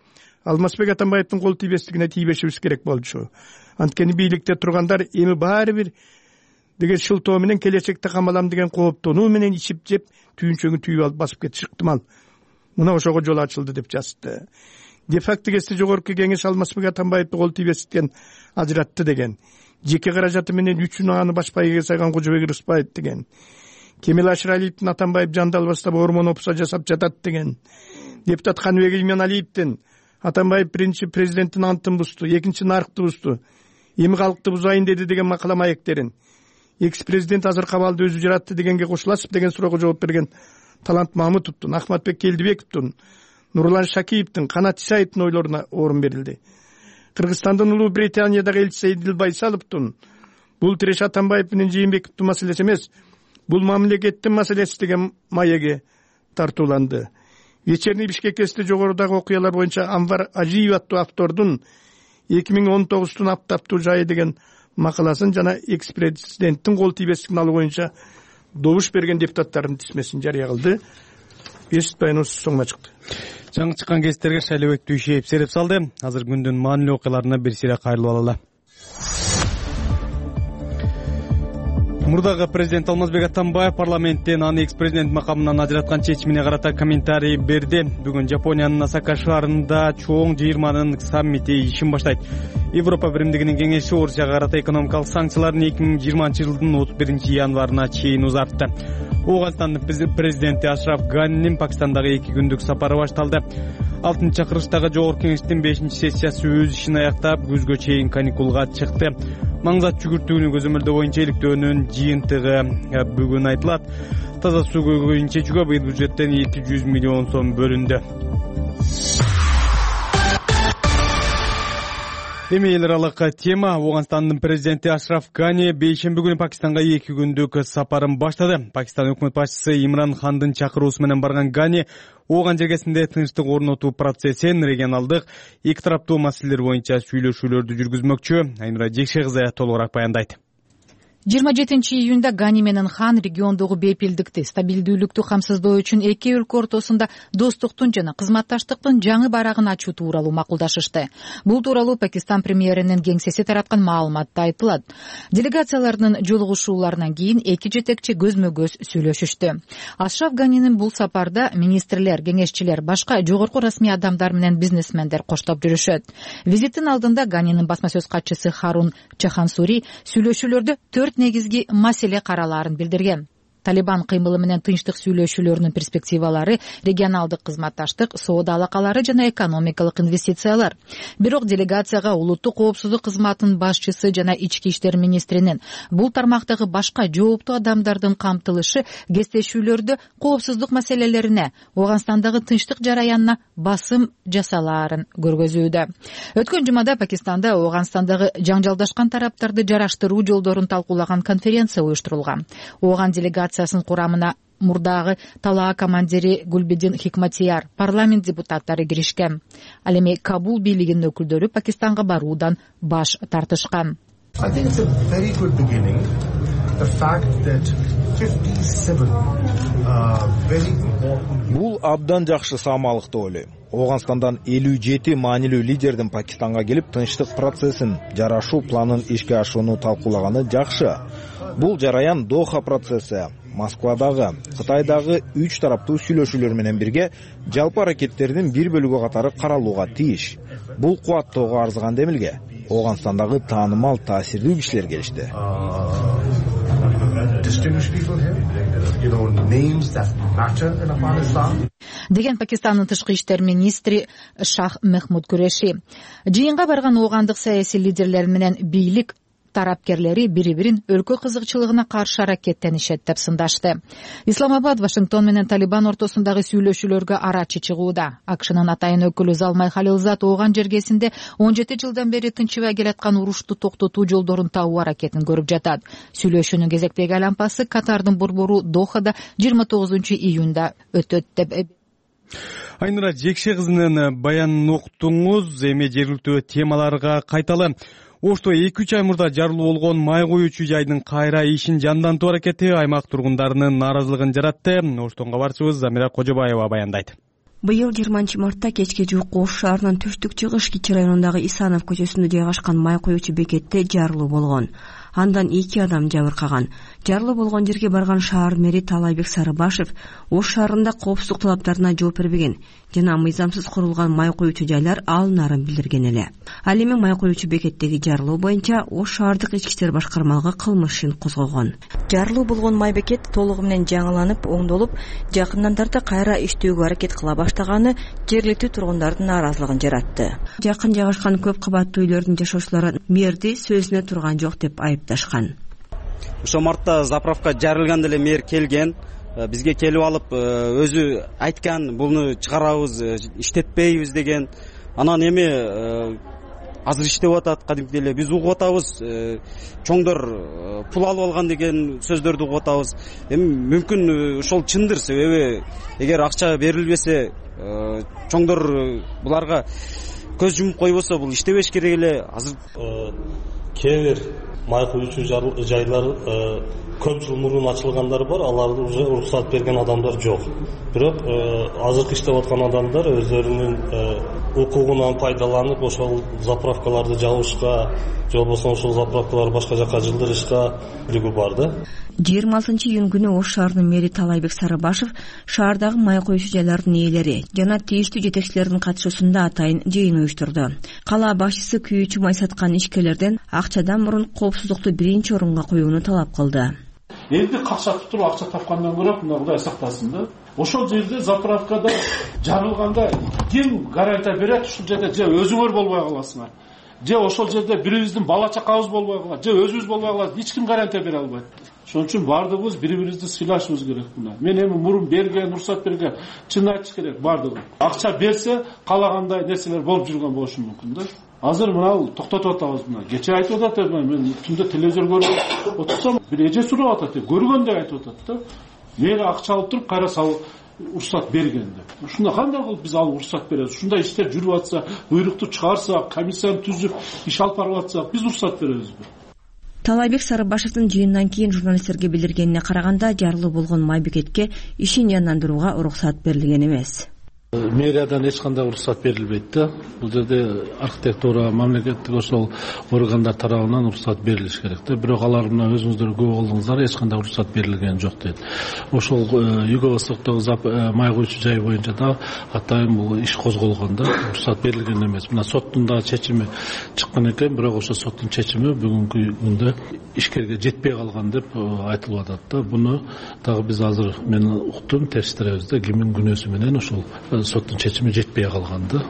Алмазбек Атамбаевдин кол тийбестигине тийбешибиз керек болчу. Анткени бийликте тургандар эми баары бир деген шылтоо менен келечекте камалам деген кооптонуу менен ичип жеп түйүнчөгүн түйүп алып басып кетиши ыктымал. Мына ошого жол ачылды деп жазды. Де факто Кести жогорку кеңеш Алмазбек Атамбаевди кол тийбестиктен ажыратты деген. Жеке каражаты менен үчүн аны баш пайгага сайган Кожобек Рыспаев деген. Кемел Ашыралиевдин Атамбаев жандалбастап ормон опса жасап жатат деген. Депутат Каныбек Иманалиевдин Атамбаев биринчи президенттин антын бузду, экинчи нарыкты бузду, эми калкты бузайын деди деген макала маектерин. Экс президент азыр кабалды өзү жаратты дегенге кошуласып деген суроого жооп берген Талант Мамытовдун, Ахматбек Келдибековдун, Нурлан Шакиевдин, Канат Исаевдин ойлоруна орун берилди. Кыргызстандын Улуу Британиядагы элчиси Эдил Байсаловдун бул Тиреш Атамбаев менен Жээнбековдун маселеси эмес, бул мамлекеттин маселеси деген маеги тартууланды. Вечерний Бишкекте жогорудагы окуялар боюнча Анвар Ажиев аттуу автордун эки миң он тогуздун аптаптуу жайы деген макаласын жана экс президенттин кол тийбестигин алуу боюнча добуш берген депутаттардын тизмесин жарыя кылды. Эсит баяныбыз соңуна чыкты. Жаңы чыккан кестерге Шайлообек Түйшеев сереп салды. Азыр күндүн маанилүү окуяларына бир сыйра кайрылып алалы. Мурдагы президент Алмазбек Атамбаев парламенттен аны экс президент макамынан ажыраткан чечимине карата комментарий берди. Бүгүн Жапониянын Осака шаарында чоң жыйырманын саммити ишин баштайт. Европа биримдигинин кеңеши Орусияга карата экономикалык санкцияларын эки миң жыйырманчы жылдын отуз биринчи январына чейин узартты. Ооганстандын президенти Ашраф Ганинин Пакистандагы эки күндүк сапары башталды. алтынчы чакырыштагы жогорку кеңештин бешинчи сессиясы өз ишин аяктап, күзгө чейин каникулга чыкты. Маңзат жүгүртүүнү көзөмөлдөө боюнча иликтөөнүн жыйынтыгы бүгүн айтылат. Таза суу көйгөйүн чечүүгө быйыл бюджеттен эки жүз миллион сом бөлүндү. Эми эл аралык тема. Ооганстандын президенти Ашраф Гани бейшемби күнү Пакистанга эки күндүк сапарын баштады. Пакистан өкмөт башчысы Имран Хандын чакыруусу менен барган Гани Ооган жергесинде тынчтык орнотуу процессин, регионалдык эки тараптуу маселелер боюнча сүйлөшүүлөрдү жүргүзмөкчү. Айнура Жекше кызы толугураак баяндайт. жыйырма жетинчи июнда Гани менен Хан региондогу бейпилдикти, стабилдүүлүктү камсыздоо үчүн эки өлкө ортосунда достуктун жана кызматташтыктын жаңы барагын ачуу тууралуу макулдашышты. Бул тууралуу Пакистан премьеринин кеңсеси тараткан маалыматта айтылат. Делегациялардын жолугушууларынан кийин эки жетекчи көзмө-көз сүйлөшүштү. Ашраф Ганинин бул сапарда министрлер, кеңешчилер, башка жогорку расмий адамдар менен бизнесмендер коштоп жүрүшөт. Визиттин алдында Ганинин басма сөз катчысы Харун Чахансури сүйлөшүүлөрдө төрт негизги маселе каралаарын билдирген. Талибан кыймылы менен тынчтык сүйлөшүүлөрүнүн перспективалары, регионалдык кызматташтык, соода алакалары жана экономикалык инвестициялар. Бирок делегацияга улуттук коопсуздук кызматынын башчысы жана ички иштер министринин бул тармактагы башка жооптуу адамдардын камтылышы кестешүүлөрдө коопсуздук маселелерине, Ооганстандагы тынчтык жараянына басым жасалаарын көргөзүүдө. Өткөн жумада Пакистанда Ооганстандагы жаңжалдашкан тараптарды жараштыруу жолдорун талкуулаган конференция уюштурулган. Ооган делегация курамына мурдагы талаа командири Гулбидин Хикматияр, парламент депутаттары киришкен. Ал эми Кабул бийлигинин өкүлдөрү Пакистанга баруудан баш тартышкан. Бул абдан жакшы саамалык деп ойлойм. Ооганстандан элүү жети маанилүү лидердин Пакистанга келип тынчтык процессин, жарашуу планын ишке ашырууну талкуулаганы жакшы. Бул жараян Доха процесси, Москвадагы, Кытайдагы үч тараптуу сүйлөшүүлөр менен бирге жалпы аракеттердин бир бөлүгү катары каралууга тийиш. Бул кубаттоого арзыган демилге Ооганстандагы таанымал таасирдүү кишилер келишти. Деген Пакистандын тышкы иштер министри Шах Мехмуд Куреши. Жыйынга барган оогандык саясий лидерлер менен бийлик тарапкерлери бири бирин өлкө кызыкчылыгына каршы аракеттенишет деп сындашты. Исламабад Вашингтон менен Талибан ортосундагы сүйлөшүүлөргө арачы чыгууда. АКШнын атайын өкүлү Залмай Халилзад ооган жергесинде он жети жылдан бери тынчыбай келаткан урушту токтотуу жолдорун табуу аракетин көрүп жатат. Сүйлөшүүнүн кезектеги айлампасы Катардын борбору Дохада жыйырма тогузунчу июнда өтөт деп. Айнура Жекше кызынын баянын уктуңуз. Эми жергиликтүү темаларга кайталы. Ошто эки үч ай мурда жарылуу болгон май куюучу жайдын кайра ишин жандантуу аракети аймак тургундарынын нааразылыгын жаратты. Оштон кабарчыбыз Замира Кожобаева баяндайт. Быйыл жыйырманчы мартта кечке жуук Ош шаарынын түштүк-чыгыш Кичи районундагы Исанов көчөсүндө жайгашкан май куюучу бекетте жарылуу болгон. Андан эки адам жабыркаган. Жарылуу болгон жерге барган шаар мэри Талайбек Сарыбашев Ош шаарында коопсуздук талаптарына жооп бербеген жана мыйзамсыз курулган май куюучу жайлар алынаарын билдирген эле. Ал эми май куюучу бекеттеги жарылуу боюнча Ош шаардык ички иштер башкармалыгы кылмыш ишин козгогон. Жарылуу болгон май бекет толугу менен жаңыланып, оңдолуп, жакындан тарта кайра иштөөгө аракет кыла баштаганы жергиликтүү тургундардын нааразылыгын жаратты. Жакын жайгашкан көп кабаттуу үйлөрдүн жашоочулары мэрди сөзүнө турган жок деп айыпташкан. Ошо мартта заправка жарылганда эле мэр келген, бизге келип алып өзү айткан, буну чыгарабыз, иштетпейбиз деген. Анан эми азыр иштеп атат, кадимки эле биз угуп атабыз, чоңдор пул алып алган деген сөздөрдү угуп атабыз. Эми мүмкүн ошол чындыр, себеби эгер акча берилбесе, чоңдор буларга көз жумуп койбосо бул иштебеш керек эле. Азыр кээ бир май куюучу жайлар көп жыл мурун ачылгандары бар, аларды уже уруксат берген адамдар жок. Бирок азыркы иштеп аткан адамдар өздөрүнүн укугунан пайдаланып ошол заправкаларды жабышка, же болбосо ошол заправкалар башка жака жылдырышка үлгү бар да. жыйырма алтынчы июнь күнү Ош шаарынын мэри Талайбек Сарыбашев шаардагы май куюучу жайлардын ээлери жана тийиштүү жетекчилердин катышуусунда атайын жыйын уюштурду. Кала башчысы күйүүчү май саткан ишкерлерден акчадан мурун коопсуздукту биринчи орунга коюуну талап кылды. Элди какшатып туруп акча тапкандан көрө мына Кудай сактасын да. Ошол жерде заправкада жарылганда ким гарантия берет? Ушул жерде же өзүңөр болбой каласыңар, же ошол жерде бирибиздин бала чакабыз болбой калат, же өзүбүз болбой калат, эч ким гарантия бере албайт. Ошон үчүн бардыгыбыз бири-бирибизди сыйлашыбыз керек мына. Мен эми мурун берген, уруксат берген, чын айтыш керек бардыгы. Акча берсе, калагандай нерселер болуп жүргөн болушу мүмкүн да. Азыр мына токтотуп атабыз мына. Кече айтып атат, мен түндө телевизор көрүп отурсам, бир эже сурап атат, көргөндө айтып атат да. Мери акча алып туруп кайра салып уруксат берген деп. Ушунда кандай кылып биз алып уруксат беребиз? Ушундай иштер жүрүп атса, буйрукту чыгарсак, комиссияны түзүп, иш алып барып атсак, биз уруксат беребизби? Талайбек Сарыбашевдин жыйындан кийин журналисттерге билдиргенине караганда, жарылуу болгон май бекетке ишин жандандырууга уруксат берилген эмес. Мэриядан эч кандай уруксат берилбейт да. Бул жерде архитектура, мамлекеттик ошол органдар тарабынан уруксат берилиш керек да. Бирок алар мына өзүңүздөр күбө болдуңуздар, эч кандай уруксат берилген жок дейт. Ошол Юго-Востоктогу май куюучу жай боюнча да атайын бул иш козголгон да, уруксат берилген эмес. Мына соттун да чечими чыккан экен, бирок ошол соттун чечими бүгүнкү күндө ишкерге жетпей калган деп айтылып атат да. Буну дагы биз азыр мен уктум, териштиребиз да, кимдин күнөөсү менен ошол соттун чечими жетпей калганды.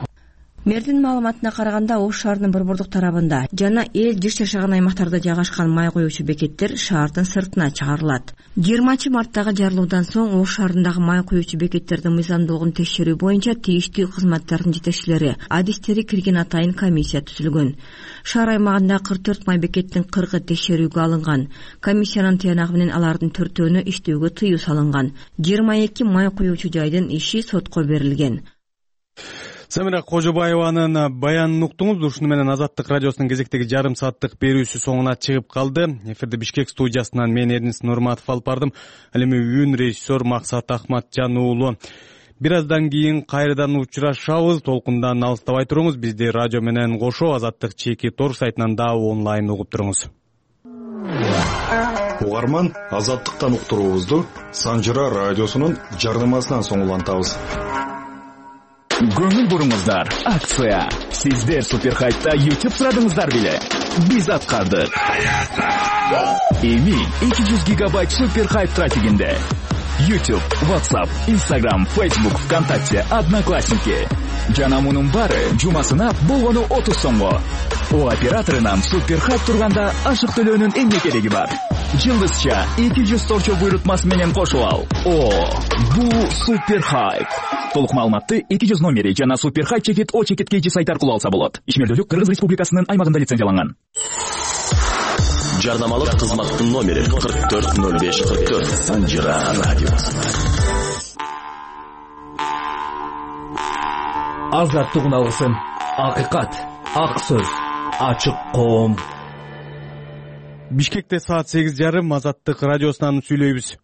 Мэрдин маалыматына караганда, Ош шаарынын борбордук тарабында жана эл жыш жашаган аймактарда жайгашкан май куюучу бекеттер шаардын сыртына чыгарылат. жыйырманчы марттагы жарылуудан соң Ош шаарындагы май куюучу бекеттердин мыйзамдуулугун текшерүү боюнча тийиштүү кызматтардын жетекчилери, адистери кирген атайын комиссия түзүлгөн. Шаар аймагында кырк төрт май бекеттин кыркы текшерүүгө алынган. Комиссиянын тыянагы менен алардын төртөөнө иштөөгө тыюу салынган. жыйырма эки май куюучу жайдын иши сотко берилген. Замира Кожобаеванын баянын уктуңуз. Ушуну менен Азаттык радиосунун кезектеги жарым сааттык берүүсү соңуна чыгып калды. Эфирде Бишкек студиясынан мен Эрнис Нурматов алып бардым. Ал эми үн режиссер Максат Ахматжан уулу. Бир аздан кийин кайрадан учурашабыз. Толкундан алыстабай туруңуз. Бизди радио менен кошо Азаттык чеки торг сайтынан да онлайн угуп туруңуз. Угарман, Азаттыктан уктуруубузду Санжыра радиосунун жарнамасынан соң улантабыз. Көңүл буруңуздар, акция. Сиздер Суперхайтта YouTube сурадыңыздар беле? Биз аткардык. Эми эки жүз гигабайт Суперхайт трафигинде YouTube, WhatsApp, Instagram, Facebook, ВКонтакте, Одноклассники. Жана мунун баары жумасына болгону отуз сомго. О операторунан супер хайп турганда ашык төлөөнүн эмне кереги бар? Жылдызча эки жүз торчо буйрутмасы менен кошуп ал. О, бул супер хайп. Толук маалыматты эки жүз номери жана супер хайп чекит о чекит kg сайт аркылуу алса болот. Ишмердүүлүк Кыргыз Республикасынын аймагында лицензияланган. Жарнамалык кызматтын номери кырк төрт ноль беш кырк төрт. Санжира радиосу. Азаттыгын алгысың. Акыйкат, ак сөз, ачык коом. Бишкекте саат сегиз жарым Азаттык радиосунан сүйлөйбүз.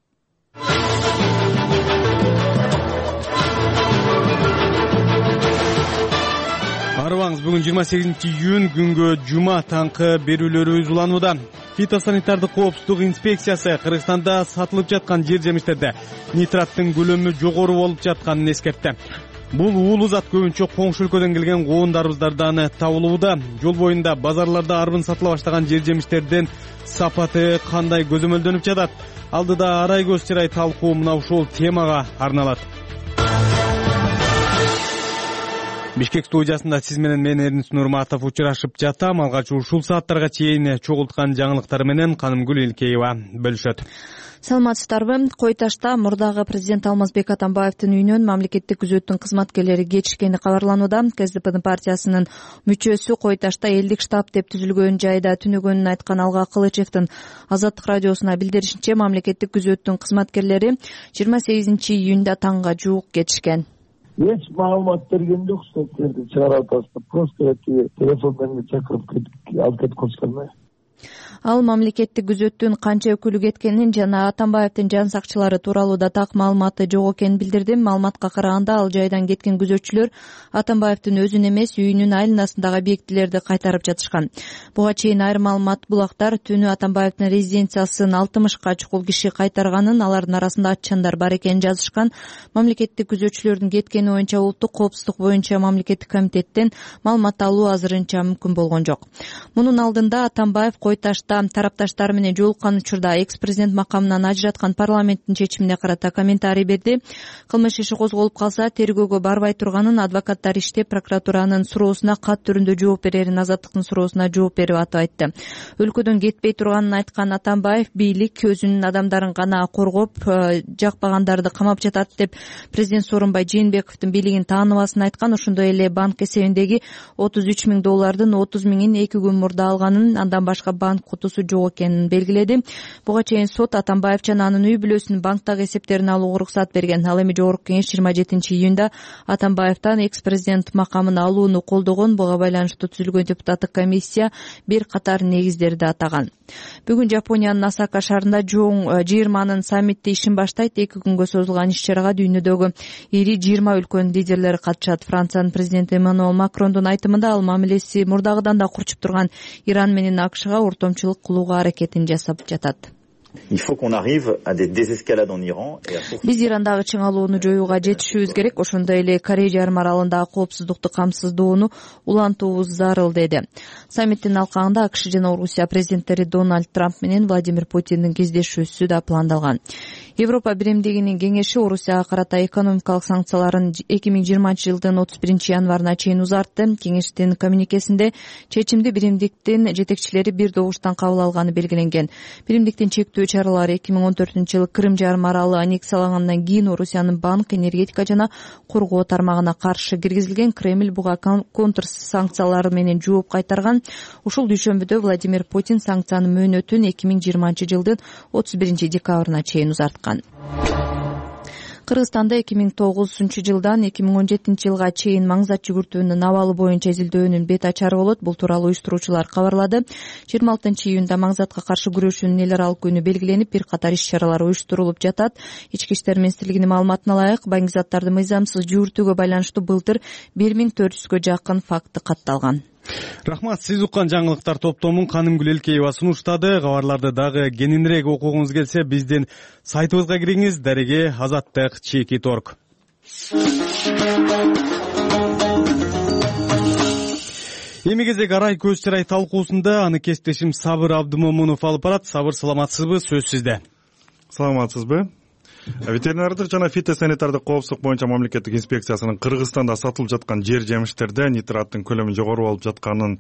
Арыбаңыз, бүгүн жыйырма сегизинчи июнь күнгө жума таңкы берүүлөрүбүз уланууда. Фитосанитардык коопсуздук инспекциясы Кыргызстанда сатылып жаткан жер жемиштерде нитраттын көлөмү жогору болуп жатканын эскертти. Бул уулуу зат көбүнчө коңшу өлкөдөн келген коондарыбыздардан табылууда. Жол боюнда, базарларда арбын сатыла баштаган жер жемиштердин сапаты кандай көзөмөлдөнүп жатат? Алдыда арай көз чырай талкуу мына ушул темага арналат. Бишкек студиясында сиз менен мен Эрнис Нурматов учурашып жатам. Алгач ушул сааттарга чейин чогулткан жаңылыктар менен Канымгүл Элкеева бөлүшөт. Саламатсыздарбы? Кой Ташта мурдагы президент Алмазбек Атамбаевдин үйүнөн мамлекеттик күзөттүн кызматкерлери кетишкени кабарланууда. КСДПнын партиясынын мүчөсү Кой Ташта элдик штаб деп түзүлгөн жайда түнөгөнүн айткан Алга Кылычевдин Азаттык радиосуна билдиришинче, мамлекеттик күзөттүн кызматкерлери жыйырма сегизинчи июнда таңга жуук кетишкен. Эч маалымат берген жок, соттерди чыгарып атасыздар. Просто телефон менен чакырып кетип алып кетип коюшкан. Ал мамлекеттик күзөттүн канча өкүлү кеткенин жана Атамбаевдин жан сакчылары тууралуу да так маалыматы жок экенин билдирди. Маалыматка караганда, ал жайдан кеткен күзөтчүлөр Атамбаевдин өзүн эмес, үйүнүн айланасындагы объектилерди кайтарып жатышкан. Буга чейин айрым маалымат булактар түнү Атамбаевдин резиденциясын алтымышка чукул киши кайтарганын, алардын арасында атчандар бар экенин жазышкан. Мамлекеттик күзөтчүлөрдүн кеткени боюнча улуттук коопсуздук боюнча мамлекеттик комитеттен маалымат алуу азырынча мүмкүн болгон жок. Мунун алдында Атамбаев Кой Ташта тарапташтары менен жолуккан учурда экс-президент макамынан ажыраткан парламенттин чечимине карата комментарий берди. Кылмыш иши козголуп калса, тергөөгө барбай турганын, адвокаттар иштеп прокуратуранын суроосуна кат түрүндө жооп берерин, Азаттыктын суроосуна жооп берип атып айтты. Өлкөдөн кетпей турганын айткан Атамбаев, бийлик өзүнүн адамдарын гана коргоп, жакпагандарды камап жатат деп президент Сооронбай Жээнбековдун бийлигин тааныбасын айткан. Ошондой эле банк эсебиндеги отуз үч миң доллардын отуз миңин эки күн мурда алганын, андан башка банк кутусу жок экенин белгиледи. Буга чейин сот Атамбаев жана анын үй бүлөсүнүн банктагы эсептерин алууга уруксат берген. Ал эми жогорку кеңеш жыйырма жетинчи июнда Атамбаевден экс-президент макамын алууну колдогон. Буга байланыштуу түзүлгөн депутаттык комиссия бир катар негиздерди атаган. Бүгүн Жапониянын Осака шаарында чоң жыйырманын саммити ишин баштайт. эки күнгө созулган иш-чарага дүйнөдөгү ири жыйырма өлкөнүн лидерлери катышат. Франциянын президенти Эммануэл Макрондун айтымында, ал мамилеси мурдагыдан да курчуп турган Иран менен АКШга ортомчулук кылууга аракетин жасап жатат. Il faut qu'on arrive à des désescalades en Iran et à Биз Ирандагы чыңалууну жоюуга жетишибиз керек. Ошондой эле Корей жарым аралындагы коопсуздукту камсыздоону улантуубуз зарыл, деди. Саммиттин алкагында АКШ жана Орусия президенттери Дональд Трамп менен Владимир Путиндин кездешүүсү да пландалган. Европа биримдигинин кеңеши Орусияга карата экономикалык санкцияларын эки миң жыйырманчы жылдын отуз биринчи январына чейин узартты. Кеңештин коммюникесинде чечимди биримдиктин жетекчилери бир добуштан кабыл алганы белгиленген. Биримдиктин чектөө чаралары эки миң он төртүнчү жылы Крым жарым аралы аннексиялангандан кийин Орусиянын банк, энергетика жана коргоо тармагына каршы киргизилген. Кремль буга контр санкциялары менен жооп кайтарган. Ушул дүйшөмбүдө Владимир Путин санкциянын мөөнөтүн эки миң жыйырманчы жылдын отуз биринчи декабрына чейин узарткан. Кыргызстанда эки миң тогузунчу жылдан эки миң он жетинчи жылга чейин маңзат жүгүртүүнүн абалы боюнча изилдөөнүн бет ачары болот. Бул тууралуу уюштуруучулар кабарлады. жыйырма алтынчы июнда маңзатка каршы күрөшүүнүн эл аралык күнү белгиленип, бир катар иш-чаралар уюштурулуп жатат. Ички иштер министрлигинин маалыматына ылайык, баңгизаттарды мыйзамсыз жүгүртүүгө байланыштуу былтыр бир миң төрт жүзгө жакын факты катталган. Рахмат, сиз уккан жаңылыктар топтомун Канымгүл Элкеева сунуштады. Кабарларды дагы кененирээк окугуңуз келсе, биздин сайтыбызга кириңиз, дареге азаттык чекит точка орг. Эми кезек арай көз чырай талкуусунда аны кесиптешим Сабыр Абдымомунов алып барат. Сабыр, саламатсызбы? Сөз сизде. Саламатсызбы? Ветеринардык жана фитосанитардык коопсуздук боюнча мамлекеттик инспекциясынын Кыргызстанда сатылып жаткан жер жемиштерде нитраттын көлөмү жогору болуп жатканын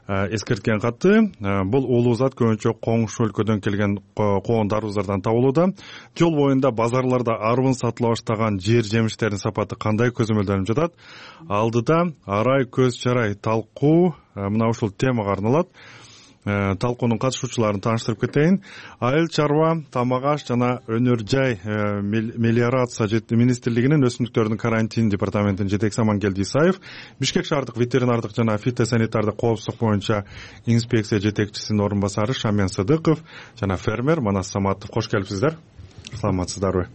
эскерткен катты. Бул улуу зат көбүнчө коңшу өлкөдөн келген коон дарбыздардан табылууда. Жол боюнда базарларда арбын сатыла баштаган жер жемиштердин сапаты кандай көзөмөлдөнүп жатат? Алдыда арай көз чарай талкуу мына ушул темага арналат. Талкуунун катышуучуларын тааныштырып кетейин. Айыл чарба, тамак аш жана өнөр жай мелиорация министрлигинин өсүмдүктөрдүн карантин департаментинин жетекчиси Амангелди Исаев, Бишкек шаардык ветеринардык жана фитосанитардык коопсуздук боюнча инспекция жетекчисинин орун басары Шамен Сыдыков жана фермер Манас Саматов. Кош келипсиздер. Саламатсыздарбы?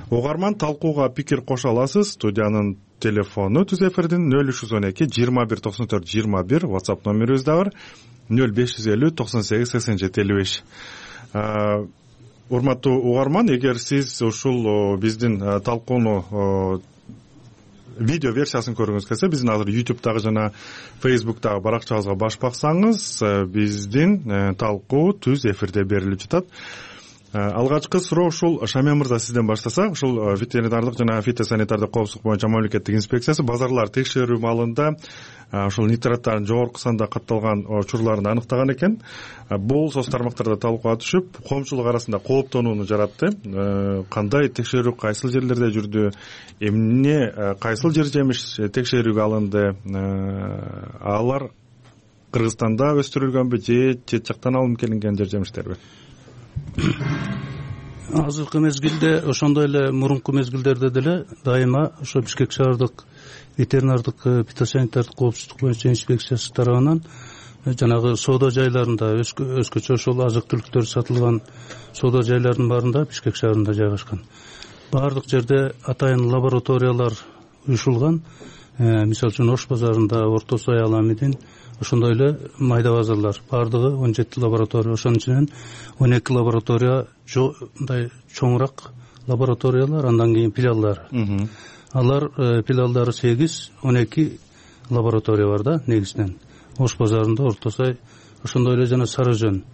Угарман, талкууга пикир кошо аласыз. Студиянын телефону түз эфирдин нөл үч жүз он эки жыйырма бир токсон төрт жыйырма бир, WhatsApp номерибиз да бар нөл беш жүз элүү токсон сегиз сексен жети элүү беш. Урматтуу угарман, эгер сиз ушул биздин талкууну видео версиясын көргүңүз келсе, биздин азыр YouTube'дагы жана Facebook'дагы баракчабызга баш баксаңыз, биздин талкуу түз эфирде берилип жатат. Алгачкы суроо ушул. Шамен мырза, сизден баштасак, ушул ветеринардык жана фитосанитардык коопсуздук боюнча мамлекеттик инспекциясы базарлар текшерүү маалында ушул нитраттардын жогорку санда катталган учурларын аныктаган экен. Бул соц тармактарда талкууга түшүп, коомчулук арасында кооптонууну жаратты. Кандай текшерүү кайсыл жерлерде жүрдү? Эмне кайсыл жер жемиш текшерүүгө алынды? Алар Кыргызстанда өстүрүлгөнбү же чет жактан алынып келинген жер жемиштерби? Азыркы мезгилде, ошондой эле мурунку мезгилдерде деле дайыма ошо Бишкек шаардык ветеринардык фитосанитардык коопсуздук боюнча инспекциясы тарабынан жанагы соода жайларында, өзгөчө ошол азык түлүктөр сатылган соода жайларынын баарында Бишкек шаарында жайгашкан. Баардык жерде атайын лабораториялар уюшулган. Мисалы үчүн Ош базарында, Орто Сай, Аламидин, ошондой эле майда базарлар баардыгы он жети лаборатория, ошонун ичинен он эки лаборатория мындай чоңураак лабораториялар, андан кийин филиалдар. Алар филиалдары сегиз, он эки лаборатория бар да негизинен. Ош базарында, Орто Сай, ошондой эле жана Сары Жөн.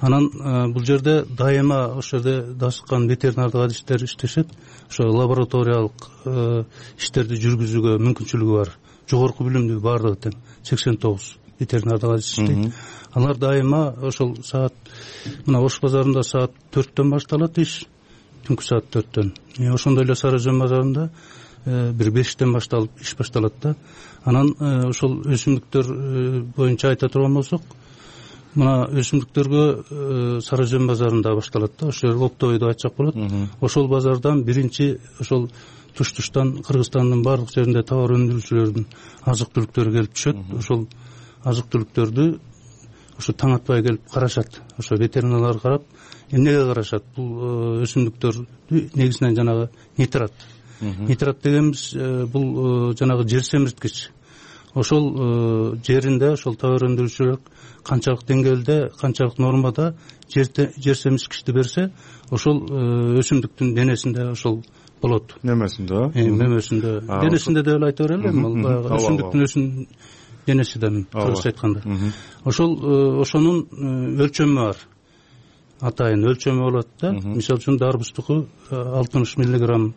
Анан бул жерде дайыма ошол жерде дасыккан ветеринардык адистер иштешет. Ошо лабораториялык иштерди жүргүзүүгө мүмкүнчүлүгү бар. Жогорку билимдүү баардыгы тең сексен тогуз ветеринардык адис иштейт. Алар дайыма ошол саат мына Ош базарында саат төрттөн башталат иш, түнкү саат төрттөн. Ошондой эле Сары Жөн базарында бир бештен башталып иш башталат да. Анан ошол өсүмдүктөр боюнча айта турган болсок, мына өсүмдүктөргө Сары Жөн базарында башталат да. Ошол оптовойду айтсак болот. Ошол базардан биринчи ошол туш-туштан Кыргызстандын баардык жеринде товар өндүрүүчүлөрдүн азык түлүктөрү келип түшөт. Ошол азык түлүктөрдү ошо таң атпай келип карашат. Ошо ветеринарлар карап, эмнеге карашат? Бул өсүмдүктөрдү негизинен жанагы нитрат. Нитрат дегенибиз бул жанагы жер семирткич. Ошол жеринде ошол товар өндүрүүчүлөр канчалык деңгээлде, канчалык нормада жер семирткичти берсе, ошол өсүмдүктүн денесинде ошол болот. Немесинде? Немесинде. Денесинде деп эле айта берели, баягы өсүмдүктүн өсүм денеси да кыргызча айтканда. Ошол ошонун өлчөмү бар. Атайын өлчөмү болот да. Мисалы үчүн дарбыздыкы алтымыш миллиграмм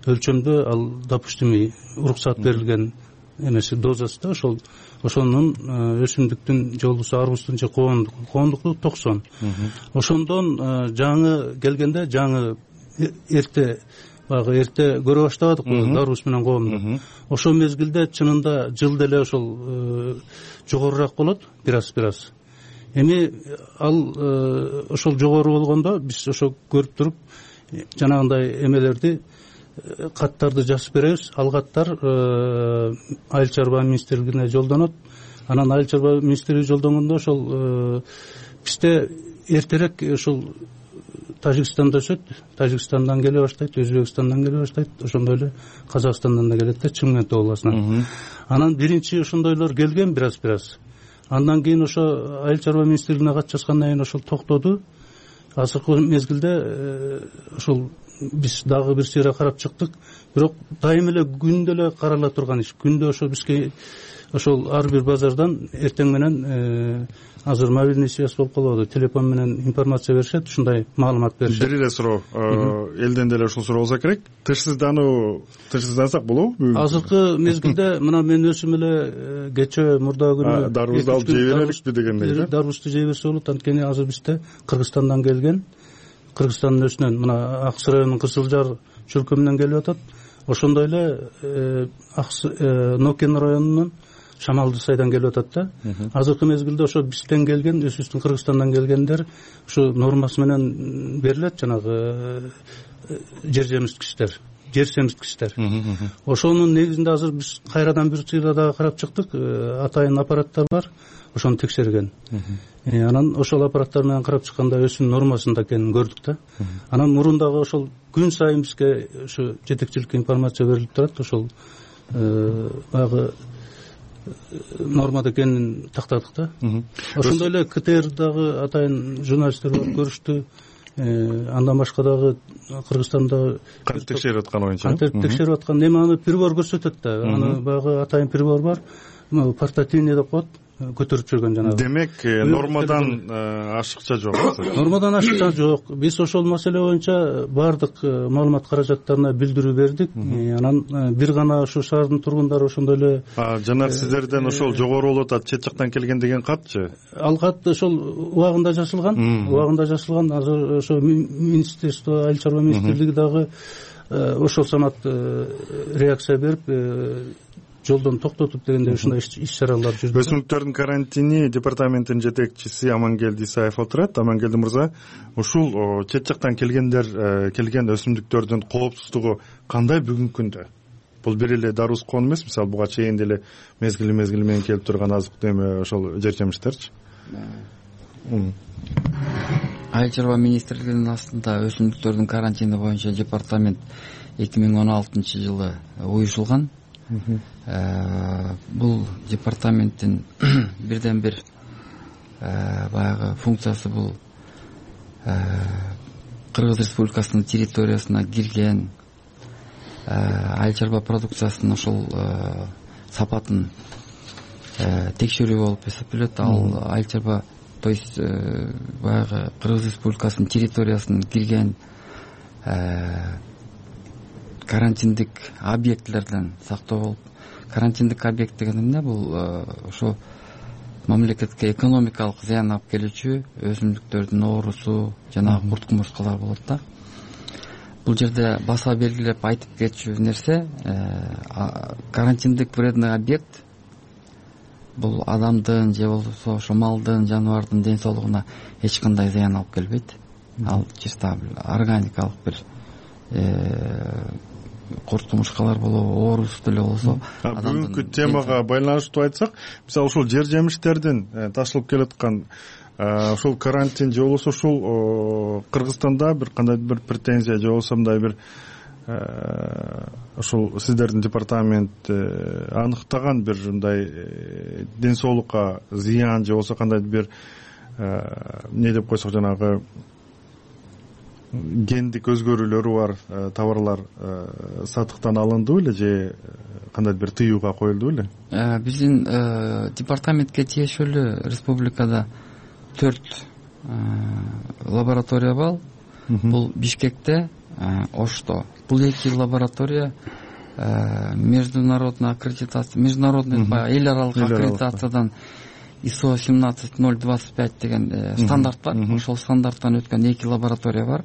өлчөмдө, ал допустимый уруксат берилген эмеси дозасы да ошол ошонун өсүмдүктүн жолдусу арбуздун же коондук, коондукту токсон. Ошондон жаңы келгенде, жаңы эрте баягы эрте көрө баштабадыкпы дарбуз менен коомду. Ошол мезгилде чынында жыл деле ошол жогорураак болот, бир-аз-бир-аз. Эми ал ошол жогору болгондо биз ошо көрүп туруп жанагындай эмелерди, каттарды жазып беребиз. Ал каттар Айыл чарба министрлигине жолдонот. Анан Айыл чарба министрлиги жолдонгондо ошол бизде эртерээк ошол Тажикстанда өсөт, Тажикстандан келе баштайт, Өзбекстандан келе баштайт, ошондой эле Казакстандан да келет да, Чымкент областынан. Анан биринчи ошондойлор келген бир-аз-бир-аз. Андан кийин ошо Айыл чарба министрлигине кат жазгандан кийин ошол токтоду. Азыркы мезгилде ошол биз дагы бир сыйра карап чыктык, бирок дайым эле күндө эле карала турган иш. Күндө ошо бизге ошол ар бир базардан эртең менен азыр мобильный связь болуп калбадыбы, телефон менен информация беришет, ушундай маалымат беришет. Бир эле суроо, элден деле ушул суроо болсо керек. Тышсыздануу, тышсыздансак болобу? Азыркы мезгилде мына мен өзүм эле кечээ мурдагы күнү дарыбызды алып жей береликпи дегендей. Дарыбызды жей берсе болот, анткени азыр бизде Кыргызстандан келген, Кыргызстандын өзүнөн мына Ак Сарайдын Кызыл Жар чөлкөмүнөн келип атат. Ошондой эле Нокен районунун Шамалды сайдан келип атат да. Азыркы мезгилде ошо бизден келген, өзүбүздүн Кыргызстандан келгендер ушу нормасы менен берилет, жанагы жер жемишкичтер, жер семирткичтер. Ошонун негизинде азыр биз кайрадан бир сыйла дагы карап чыктык. Атайын аппараттар бар, ошону текшерген. Анан ошол аппараттар менен карап чыкканда өсүм нормасында экенин көрдүк да. Анан мурундагы ошол күн сайын бизге ошо жетекчиликке информация берилип турат, ошол баягы нормада экенин тактадык да. Ошондой эле КТР дагы атайын журналисттер барып көрүштү. Андан башка дагы Кыргызстанда кантип текшерип аткан боюнча, кантип текшерип аткан, эми аны прибор көрсөтөт да. Аны баягы атайын прибор бар, портативный деп коет, көтөрүп жүргөн жанагы. Демек, нормадан ашыкча жок. Нормадан ашыкча жок. Биз ошол маселе боюнча баардык маалымат каражаттарына билдирүү бердик. Анан бир гана ошо шаардын тургундары ошондой эле жана сиздерден ошол жогору болуп атат, чет жактан келген деген катчы? Ал кат ошол убагында жазылган, убагында жазылган. Азыр ошо министерство, айыл чарба министрлиги дагы ошол самат реакция берип жолдон токтотуп дегенде ушундай иш-чаралар жүрдү. Өсүмдүктөрдүн карантини департаменттин жетекчиси Амангелди Исаев отурат. Амангелди мырза, ушул чет жактан келгендер келген өсүмдүктөрдүн коопсуздугу кандай бүгүнкү күндө? Бул бир эле даруз кон эмес, мисалы буга чейин деле мезгили мезгили менен келип турган азык эме ошол жер жемиштерчи. Айыл чарба министрлигинин астында өсүмдүктөрдүн карантини боюнча департамент эки миң он алтынчы жылы уюшулган. Бул департаменттин бирден бир баягы функциясы бул Кыргыз Республикасынын территориясына кирген айыл чарба продукциясынын ошол сапатын текшерүү болуп эсептелет. Ал айыл чарба, то есть баягы Кыргыз Республикасынын территориясына кирген карантиндик объектлерден сактоо болуп, карантиндик объект деген эмне? Бул ошо мамлекетке экономикалык зыян алып келүүчү өсүмдүктөрдүн оорусу, жанагы курт кумурскалар болот да. Бул жерде баса белгилеп айтып кетчү нерсе, карантиндик вредный объект бул адамдын же болбосо ошо малдын, жаныбардын ден соолугуна эч кандай зыян алып келбейт. Ал чисто органикалык бир курт кумурскалар болобу, оорус деле болсо. Бүгүнкү темага байланыштуу айтсак, мисалы ушул жер жемиштердин ташылып келаткан ушул карантин же болбосо ушул Кыргызстанда бир кандай бир претензия же болбосо мындай бир ушул сиздердин департамент аныктаган бир мындай ден соолукка зыян же болбосо кандай бир эмне деп койсок, жанагы гендик өзгөрүүлөрү бар товарлар сатыктан алынды беле же кандай бир тыюуга коюлду беле? Биздин департаментке тиешелүү республикада төрт лаборатория бар. Бул Бишкекте, Ошто. Бул эки лаборатория международный аккредитация, международный эл аралык аккредитациядан ай эс о семнадцать ноль двадцать пять деген стандарт бар. Ошол стандарттан өткөн эки лаборатория бар.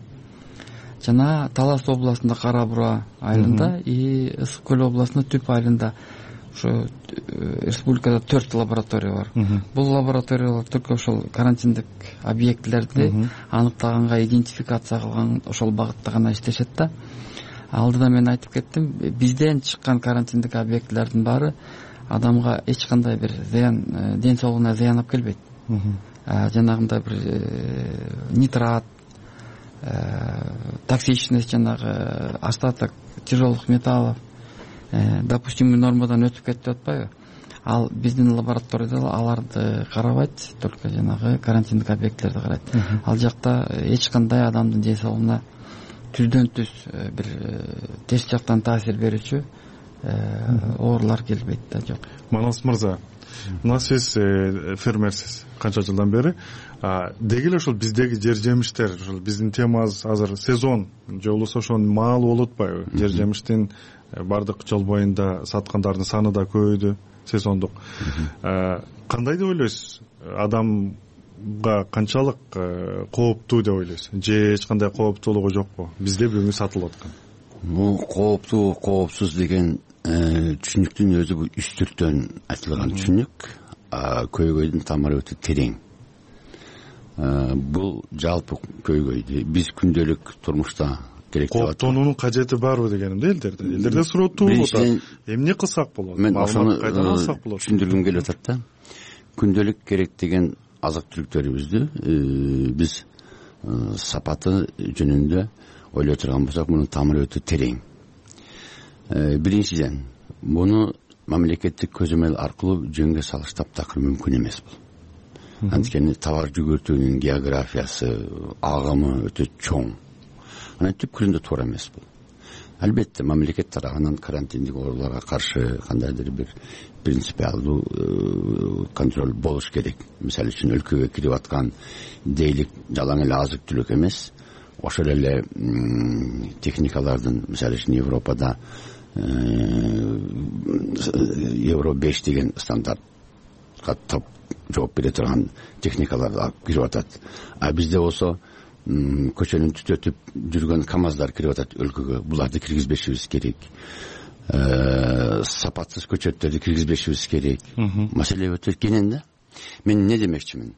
Жана Талас областында Кара Бура айылында и Ысык көл областында Түп айылында ошо республикада төрт лаборатория бар. Бул лабораториялар только ошол карантиндик объектлерди аныктаганга, идентификация кылган ошол багытта гана иштешет да. Алдыда мен айтып кеттим, бизден чыккан карантиндик объектлердин баары адамга эч кандай бир зыян, ден соолугуна зыян алып келбейт. Жанагындай бир нитрат, токсичность, жанагы остаток тяжелых металлов допустимый нормадан өтүп кетти деп атпайбы? Ал биздин лабораторияда аларды карабайт, только жанагы карантиндик объекттерди карайт. Ал жакта эч кандай адамдын ден соолугуна түздөн түз бир терс жактан таасир берүүчү оорулар келбейт да. Жок. Манас мырза, мына сиз фермерсиз канча жылдан бери. Деги эле ушул биздеги жер жемиштер, ушул биздин темабыз азыр сезон же болбосо ошонун маалы болуп атпайбы? Жер жемиштин бардык жол боюнда саткандардын саны да көбөйдү, сезондук. Кандай деп ойлойсуз? Адамга канчалык кооптуу деп ойлойсуз? Же эч кандай кооптуулугу жокпу? Бизде бүгүн сатылып аткан. Бул кооптуу, коопсуз деген түшүнүктүн өзү бул үстүртөн айтылган түшүнүк. Көйгөйдүн тамыры өтө терең. Бул жалпы көйгөйдү биз күндөлүк турмушта керек деп атат. Кооптонуунун кажети барбы дегеним да элдерде. Элдерде сурооттуу болуп атат. Эмне кылсак болот? Мен ошону түшүндүргүм келип атат да. Күндөлүк керек деген азык-түлүктөрүбүздү биз сапаты жөнүндө ойлой турган болсок, мунун тамыры өтө терең. Биринчиден, муну мамлекеттик көзөмөл аркылуу жөнгө салыш таптакыр мүмкүн эмес бул. Анткени товар жүгүртүүнүн географиясы, агымы өтө чоң. Анан түпкүрүндө туура эмес бул. Албетте, мамлекет тарабынан карантиндик ооруларга каршы кандайдыр бир принципиалдуу контроль болуш керек. Мисалы үчүн өлкөгө кирип аткан дейлик жалаң эле азык-түлүк эмес, ошол эле техникалардын, мисалы үчүн Европада евро беш деген стандартка топ жооп бере турган техникалар алып кирип атат. А бизде болсо көчөнүн түтөтүп жүргөн КАМАЗдар кирип атат өлкөгө. Буларды киргизбешибиз керек. Сапатсыз көчөттөрдү киргизбешибиз керек. Маселе өтө кенен да. Мен эмне демекчимин?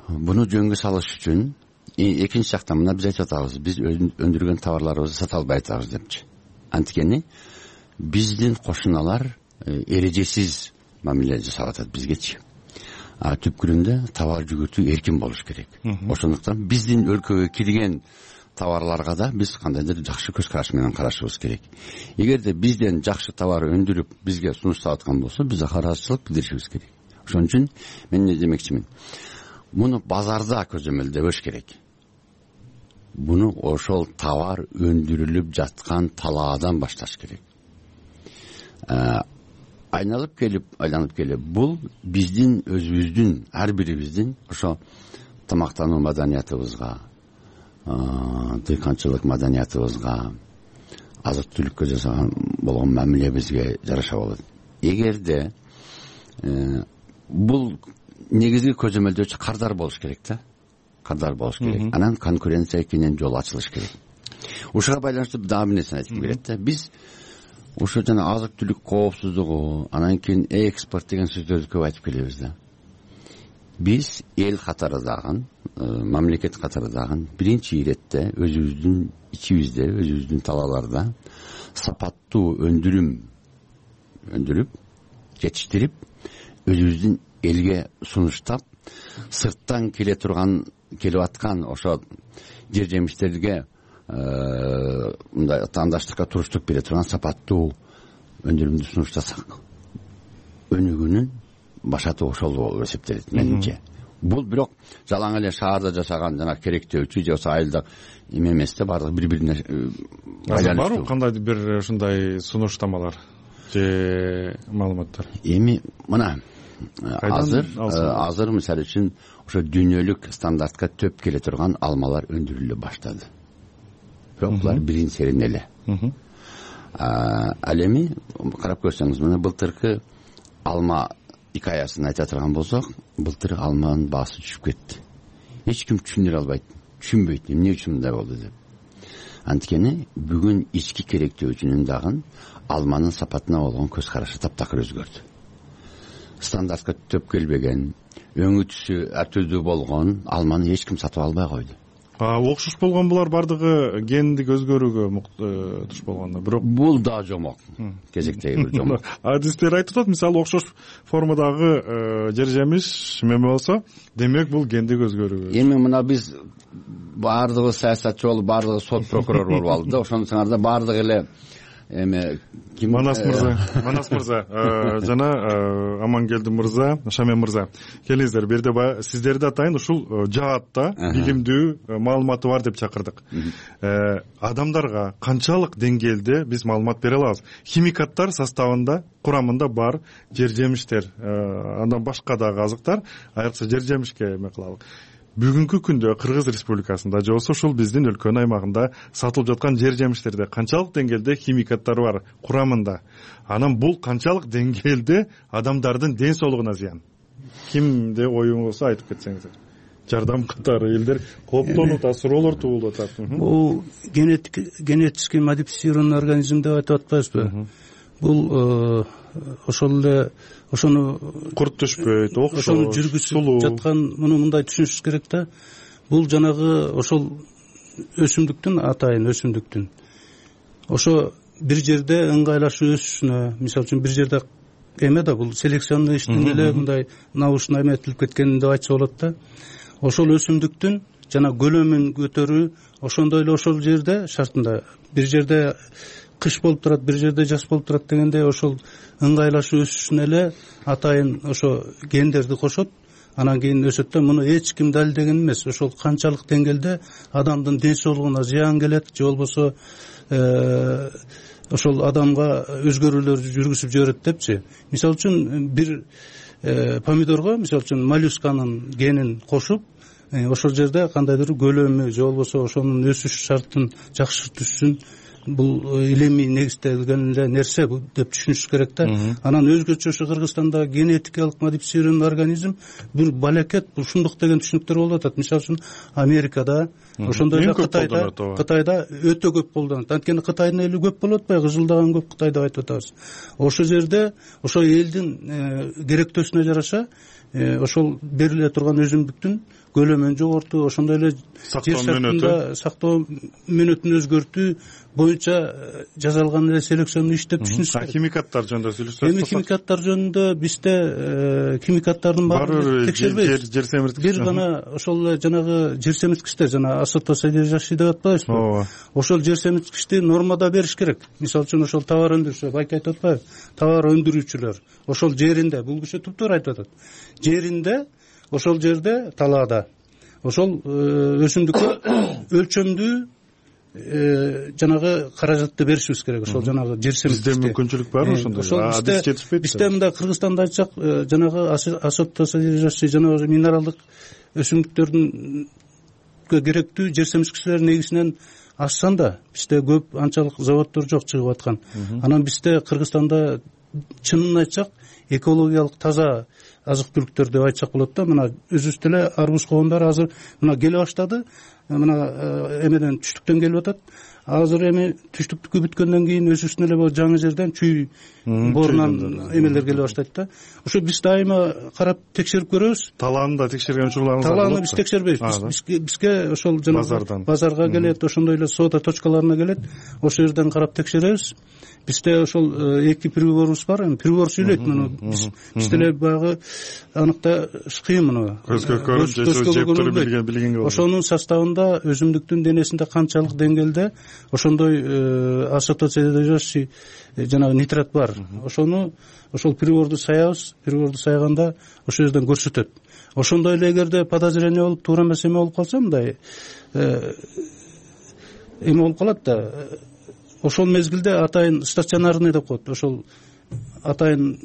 Буну жөнгө салыш үчүн экинчи жактан мына биз айтып атабыз, биз өндүргөн товарларыбызды сата албай атабыз депчи. Анткени биздин кошуналар эрежесиз мамиле жасап атат бизгечи. А түпкүрүндө товар жүгүртүү эркин болуш керек. Ошондуктан биздин өлкөгө кирген товарларга да биз кандайдыр жакшы көз караш менен карашыбыз керек. Эгерде бизден жакшы товар өндүрүп бизге сунуштап аткан болсо, биз каражылык билдиришибиз керек. Ошон үчүн мен эмне демекчимин? Муну базарда көзөмөлдөбөш керек. Буну ошол товар өндүрүлүп жаткан талаадан башташ керек. Айналып келип, айланып келип, бул биздин өзүбүздүн, ар бирибиздин ошо тамактануу маданиятыбызга, дыйканчылык маданиятыбызга, азык-түлүккө жасаган болгон мамилебизге жараша болот. Эгерде бул негизги көзөмөлдөөчү кардар болуш керек да. Кардар болуш керек. Анан конкуренция кенен жол ачылыш керек. Ушуга байланыштуу дагы бир нерсени айтып келет да. Биз ошо жана азык-түлүк коопсуздугу, анан кийин экспорт деген сөздөрдү көп айтып келебиз да. Биз эл катарындагы, мамлекет катарындагы биринчи иретте өзүбүздүн ичибизде, өзүбүздүн талааларда сапаттуу өндүрүм өндүрүп, жетиштирип, өзүбүздүн элге сунуштап, сырттан келе турган, келип аткан ошо жер жемиштерге мындай таңдаштыкка туруштук бере турган сапаттуу өндүрүмдү сунуштасак, өнүгүүнүн башаты ошол болуп эсептелет менимче. Бул бирок жалаң эле шаарда жашаган жана керектөөчү же болбосо айылда эме эмес да, баардыгы бири-бирине байланыштуу. Барбы кандайдыр бир ушундай сунуштамалар же маалыматтар? Эми мына азыр азыр мисалы үчүн ошо дүйнөлүк стандартка төп келе турган алмалар өндүрүлө баштады. Бирок булар бирин серин эле. Ал эми карап көрсөңүз, мына былтыркы алма икаясын айта турган болсок, былтыр алманын баасы түшүп кетти. Эч ким түшүндүрө албайт, түшүнбөйт эмне үчүн мындай болду деп. Анткени бүгүн ички керектөөчүнүн дагы алманын сапатына болгон көз карашы таптакыр өзгөрдү. Стандартка төп келбеген, өңү түсү ар түрдүү болгон алманы эч ким сатып албай койду. Окшош болгон булар бардыгы гендик өзгөрүүгө туш болгондо. Бирок бул да жомок. Кезектеги бир жомок. Адистер айтып атат, мисалы окшош формадагы жер жемиш меме болсо, демек бул гендик өзгөрүү. Эми мына биз бардыгы саясатчы болуп, бардыгы сот прокурор болуп алды да, ошондо саңарда бардыгы эле эме ким манас мырза манас мырза жана амангелди мырза, Шамен мырза, келиңиздер. Бул жерде баягы сиздерди атайын ушул жаатта билимдүү маалыматы бар деп чакырдык. Адамдарга канчалык деңгээлде биз маалымат бере алабыз? Химикаттар составында, курамында бар жер жемиштер, андан башка дагы азыктар, айрыкча жер жемишке эме кылалык. Бүгүнкү күндө Кыргыз Республикасында же болбосо ушул биздин өлкөнүн аймагында сатылып жаткан жер жемиштерде канчалык деңгээлде химикаттар бар курамында? Анан бул канчалык деңгээлде адамдардын ден соолугуна зыян? Кимде оюң болсо айтып кетсеңиздер. Жардам катары элдер кооптонуп атат, суроолор туулуп атат. Бул генетически модифицированный организм деп айтып атпайбызбы? Бул ошол эле ошону курт түшпөйт, окшош, ошону жүргүзүп жаткан муну мындай түшүнүшүбүз керек да. Бул жанагы ошол өсүмдүктүн, атайын өсүмдүктүн ошо бир жерде ыңгайлашып өсүшүнө, мисалы үчүн бир жерде эме да бул селекционный иштин эле мындай научно эметилип кеткен деп айтса болот да. Ошол өсүмдүктүн жана көлөмүн көтөрүү ошондой эле ошол жерде шартында бир жерде кыш болуп турат, бир жерде жаз болуп турат дегенде ошол ыңгайлашып өсүшүнө эле атайын ошо гендерди кошот, анан кийин өсөт да. Муну эч ким далилдеген эмес. Ошол канчалык деңгээлде адамдын ден соолугуна зыян келет же болбосо ошол адамга өзгөрүүлөр жүргүзүп жиберет депчи. Мисалы үчүн бир помидорго, мисалы үчүн моллюсканын генин кошуп, ошол жерде кандайдыр көлөмү же болбосо ошонун өсүш шартын жакшы түшсүн, бул илимий негизделген эле нерсе деп түшүнүш керек да. Анан өзгөчө ошо Кыргызстанда генетикалык модифицированный организм бир балекет, бул ушундук деген түшүнүктөр болуп атат. Мисалы үчүн Америкада, ошондой эле Кытайда, Кытайда өтө көп колдонот. Анткени Кытайдын эли көп болуп атпайбы, кызылдаган көп Кытай деп айтып атабыз. Ошол жерде ошо элдин керектөөсүнө жараша ошол бериле турган өсүмдүктүн көлөмүн жогортуу, ошондой эле жер шартында сактоо мөөнөтүн өзгөртүү боюнча жасалган эле селекционный иш деп түшүнүш керек. Химикаттар жөнүндө сүйлөшсөк, эми химикаттар жөнүндө бизде химикаттардын баарын текшербейбиз. Жер семирткич. Бир гана ошол эле жанагы жер семирткичтер, жана азотосодержащий деп атпайбызбы? Ооба. Ошол жер семирткичти нормада бериш керек. Мисалы үчүн ошол товар өндүрүүчү, байке айтып атпайбы? Товар өндүрүүчүлөр ошол жеринде, бул киши туптуура айтып атат. Жеринде, ошол жерде талаада ошол өсүмдүккө өлчөмдүү жанагы каражатты беришибиз керек. Ошол жанагы жер семирткичти. Бизде мүмкүнчүлүк бар ошондой? Адис жетишпейт. Бизде мындай Кыргызстанда айтсак, жанагы азотосодержащий жанагы минералдык өсүмдүктөрдүн керектүү жер семирткичтер негизинен ашсан да, бизде көп анчалык заводдор жок чыгып аткан. Анан бизде Кыргызстанда чынын айтсак, экологиялык таза азык түлүктөр деп айтсак болот да. Мына өзүбүздө эле арбуз коомдор азыр мына келе баштады. Мына эмеден түштүктөн келип атат. Азыр эми түштүктүккө бүткөндөн кийин өзүбүздүн эле бул жаңы жерден чүй боорунан эмелер келе баштайт да. Ошо биз дайыма карап текшерип көрөбүз. Талааны да текшерген учурларыңыз бар? Талааны биз текшербейбиз. Бизге ошол жана базарга келет, ошондой эле соода точкаларына келет. Ошол жерден карап текшеребиз. Бизде ошол эки приборубуз бар. Эми прибор сүйлөйт муну. Бизде эле баягы аныкта кыйын муну. Көзгө көрүнүп жеп туруп билгенге болот. Ошонун составында өзүмдүктүн денесинде канчалык деңгээлде ошондой азотосодержащий жанагы нитрат бар. Ошону ошол приборду саябыз. Приборду саяганда ошол жерден көрсөтөт. Ошондой эле эгерде подозрение болуп, туура эмес эме болуп калса, мындай эме болуп калат да. Ошол мезгилде атайын стационарный деп коет. Ошол атайын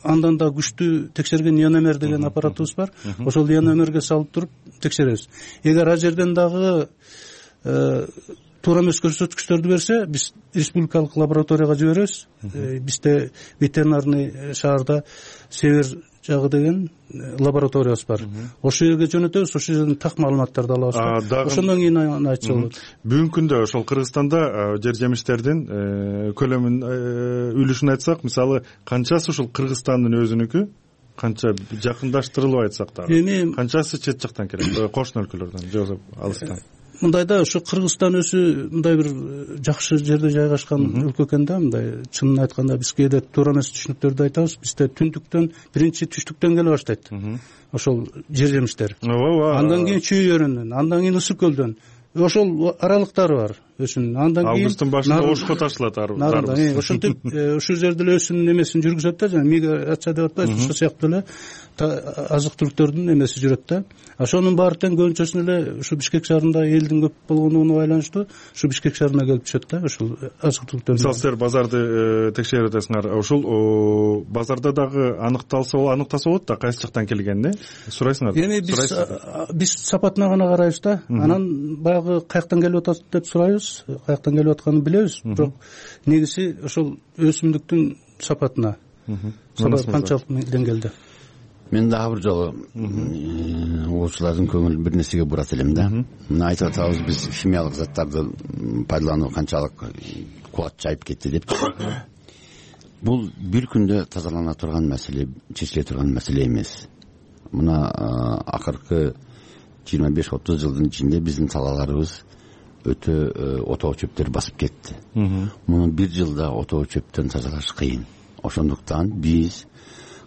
андан да күчтүү текшерген иономер деген аппаратыбыз бар. Ошол иономерге салып туруп текшеребиз. Эгер ал жерден дагы туура эмес көрсөткүчтөрдү берсе, биз республикалык лабораторияга жиберебиз. Бизде ветеринарный шаарда Север жагы деген лабораториябыз бар. Ошол жерге жөнөтөбүз, ошол жерден так маалыматтарды алабыз. Ошондон кийин аны айтса болот. Бүгүнкү күндө ошол Кыргызстанда жер жемиштердин көлөмүн үлүшүн айтсак, мисалы канчасы ушул Кыргызстандын өзүнүкү, канча жакындаштырылып айтсак дагы, канчасы чет жактан келет, кошуна өлкөлөрдөн же болбосо алыстан? Мындайда ошо Кыргызстан өзү мындай бир жакшы жерде жайгашкан өлкө экен да. Мындай чынын айтканда биз кээде туура эмес түшүнүктөрдү айтабыз. Бизде түндүктөн, биринчи түштүктөн келе баштайт ошол жер жемиштер. Андан кийин Чүй өрөөнүнөн, андан кийин Ысык көлдөн. Ошол аралыктары бар. өсүмүн андан кийин августтун башында ошко ташылат нарында ошентип ушул жерде эле өсүмдүн эмесин жүргүзөт да жана миграция деп атпайбызбы ошол сыяктуу эле азык түлүктөрдүн эмеси жүрөт да. Ошонун баары тең көбүнчөсүн эле ушу Бишкек шаарында элдин көп болгондугуна байланыштуу ушу Бишкек шаарына келип түшөт да ушул азык түлүктөр. Мисалы силер базарды текшерип атасыңар, ушул базарда дагы аныкталса аныктаса болот да кайсы жактан келгенин э сурайсыңар. Эми биз биз сапатына гана карайбыз да. Анан баягы каяктан келип атат деп сурайбыз, каяктан келип атканын билебиз, бирок негизи ошол өсүмдүктүн сапатына. Сапат канчалык деңгээлде. Мен дагы бир жолу угуучулардын көңүлүн бир нерсеге бурат элем да. Мына айтып атабыз биз химиялык заттарды пайдалануу канчалык кубат жайып кетти деп. Бул бир күндө тазалана турган маселе, чечиле турган маселе эмес. Мына акыркы жыйырма беш отуз жылдын ичинде биздин талааларыбыз өтө отоо чөптөр басып кетти. Муну бир жылда отоо чөптөн тазалаш кыйын. Ошондуктан биз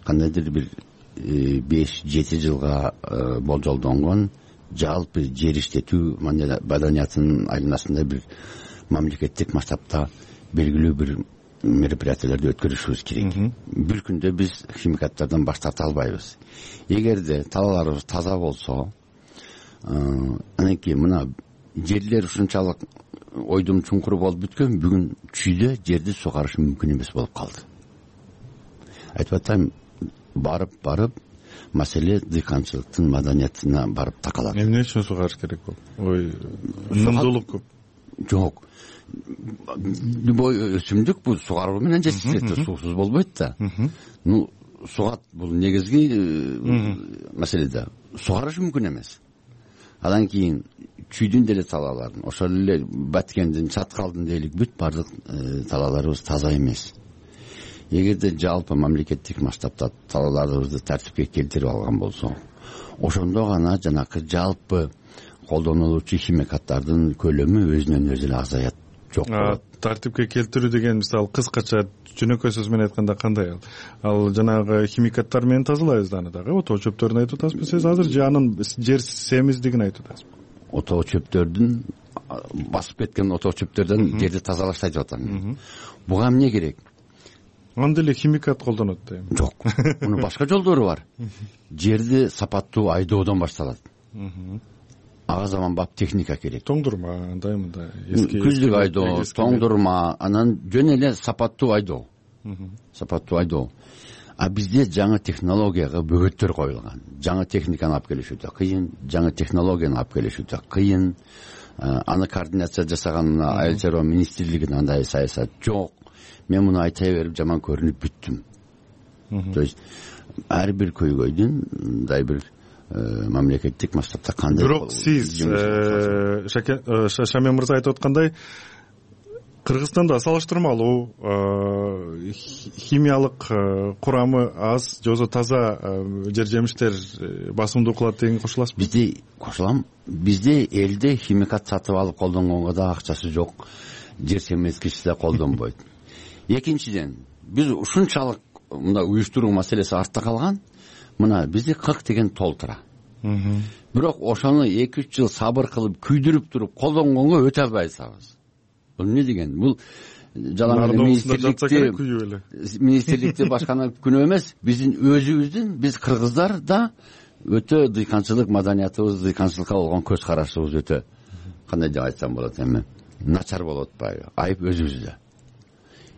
кандайдыр бир беш жети жылга болжолдонгон жалпы жер иштетүү маданиятынын айланасында бир мамлекеттик масштабта белгилүү бир мероприятияларды өткөрүшүбүз керек. Бир күндө биз химикаттардан баш тарта албайбыз. Эгерде талааларыбыз таза болсо, анан кийин мына жерлер ушунчалык ойдум чуңкур болуп бүткөн, бүгүн чүйдө жерди сугарыш мүмкүн эмес болуп калды. Айтып атайм, барып барып маселе дыйканчылыктын маданиятына барып такалат. Эмне үчүн сугарыш керек болду? Ой, нымдуулук көп. Жок. Любой өсүмдүк бул сугаруу менен жетиштирет, суусуз болбойт да. Ну, сугат бул негизги маселе да. Сугарыш мүмкүн эмес. Андан кийин чүйдүн деле талааларын, ошол эле Баткендин, Чаткалдын дейлик бүт бардык талааларыбыз таза эмес. Эгерде жалпы мамлекеттик масштабта талааларыбызды тартипке келтирип алган болсо, ошондо гана жанакы жалпы колдонулуучу химикаттардын көлөмү өзүнөн өзү эле азаят. Жок. Тартипке келтирүү деген мисалы кыскача жөнөкөй сөз менен айтканда кандай ал? Ал жанагы химикаттар менен тазалайбыз аны дагы. Отоо чөптөрүн айтып атасызбы сиз азыр же анын жер семиздигин айтып атасызбы? Отоо чөптөрдүн басып кеткен отоо чөптөрдөн жерди тазалашты айтып атам. Буга эмне керек? Анда эле химикат колдонот да эми. Жок. Мунун башка жолдору бар. Жерди сапаттуу айдоодон башталат. Ага заманбап техника керек. Тоңдурма, андай мындай эски күздүк айдоо, тоңдурма, анан жөн эле сапаттуу айдоо. Сапаттуу айдоо. А бизде жаңы технологияга бөгөттөр коюлган. Жаңы техниканы алып келишүү да кыйын, жаңы технологияны алып келишүү да кыйын. Аны координация жасаган айыл чарба министрлигинин андай саясат жок. Мен муну айта берип жаман көрүнүп бүттүм. То есть ар бир көйгөйдүн мындай бир мамлекеттик масштабта кандай. Бирок сиз Шамен мырза айтып аткандай, Кыргызстанда салыштырмалуу химиялык курамы аз, же болбосо таза жер жемиштер басымдуу кылат деген кошуласызбы? Бизде кошулам. Бизде элде химикат сатып алып колдонгонго да акчасы жок, жер семизгичи да колдонбойт. Экинчиден, биз ушунчалык мында уюштуруу маселеси артта калган. Мына бизде кырк деген тол тура. Бирок ошону эки үч жыл сабыр кылып, күйдүрүп туруп колдонгонго өтө албайсыз. Бул эмне деген? Бул жалаң министрликти министрликти башканы күнөө эмес, биздин өзүбүздүн, биз кыргыздар да өтө дыйканчылык маданиятыбыз, дыйканчылыкка болгон көз карашыбыз өтө кандай деп айтсам болот эми, начар болуп атпайбы? Айып өзүбүздө.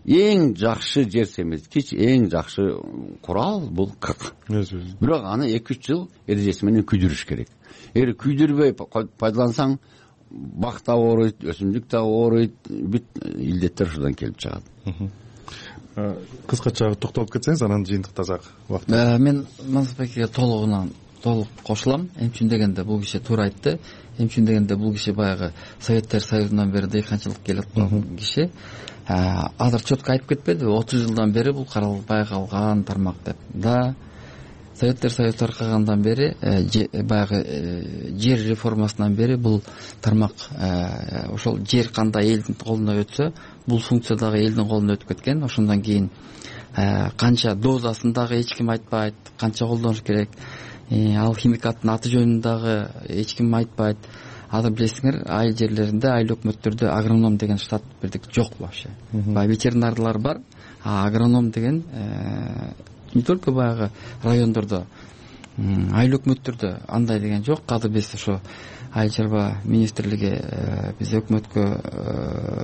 Эң жакшы жер семизгич, эң жакшы курал бул кырк. Бирок аны эки үч жыл эрежеси менен күйдүрүш керек. Эгер күйдүрбөй пайдалансаң, бак да ооруйт, өсүмдүк да ооруйт, бүт илдеттер ушудан келип чыгат. Кыскача токтолуп кетсеңиз, анан жыйынтык тазак убакыт. Мен Мансурбекке толугунан толук кошулам. Эмчүн дегенде бул киши туура айтты. Эмчүн дегенде бул киши баягы Советтер Союзунан бери дыйканчылык келип аткан киши. Азыр четко айтып кетпеди, отуз жылдан бери бул каралып калган тармак деп. Да, Советтер Союзу таркагандан бери, баягы жер реформасынан бери бул тармак, ошол жер кандай элдин колуна өтсө, бул функция дагы элдин колуна өтүп кеткен. Ошондон кийин канча дозасын дагы эч ким айтпайт, канча колдонуш керек, ал химикаттын аты жөнүн дагы эч ким айтпайт. азыр билесиңер айыл жерлеринде айыл өкмөттөрдө агроном деген штат бирдик жок вообще. Баягы ветеринарлар бар, а агроном деген не только баягы райондордо, айыл өкмөттөрдө андай деген жок. Азыр биз ошо айыл чарба министрлиги биз өкмөткө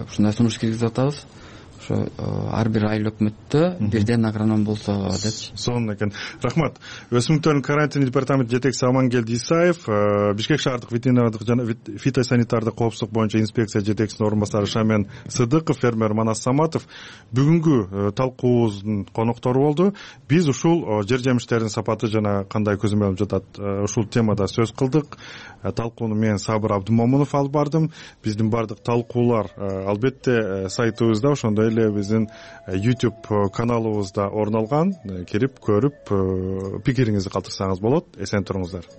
ушундай сунуш киргизип атабыз. Ошо ар бир айыл өкмөттө бирден агроном болсо деп. Сонун экен. Рахмат. Өсүмдүктөрдүн карантин департаменти жетекчиси Амангелди Исаев, Бишкек шаардык ветеринардык жана фитосанитардык коопсуздук боюнча инспекция жетекчисинин орун басары Шамен Сыдыков, фермер Манас Саматов бүгүнкү талкуубуздун коноктору болду. Биз ушул жер жемиштердин сапаты жана кандай көзөмөл алып жатат, ушул темада сөз кылдык. Талкууну мен Сабыр Абдымомунов алып бардым. Биздин бардык талкуулар албетте сайтыбызда, ошондой эле биздин YouTube каналыбызда орун алган. Кирип көрүп пикириңизди калтырсаңыз болот. Эсен туруңуздар.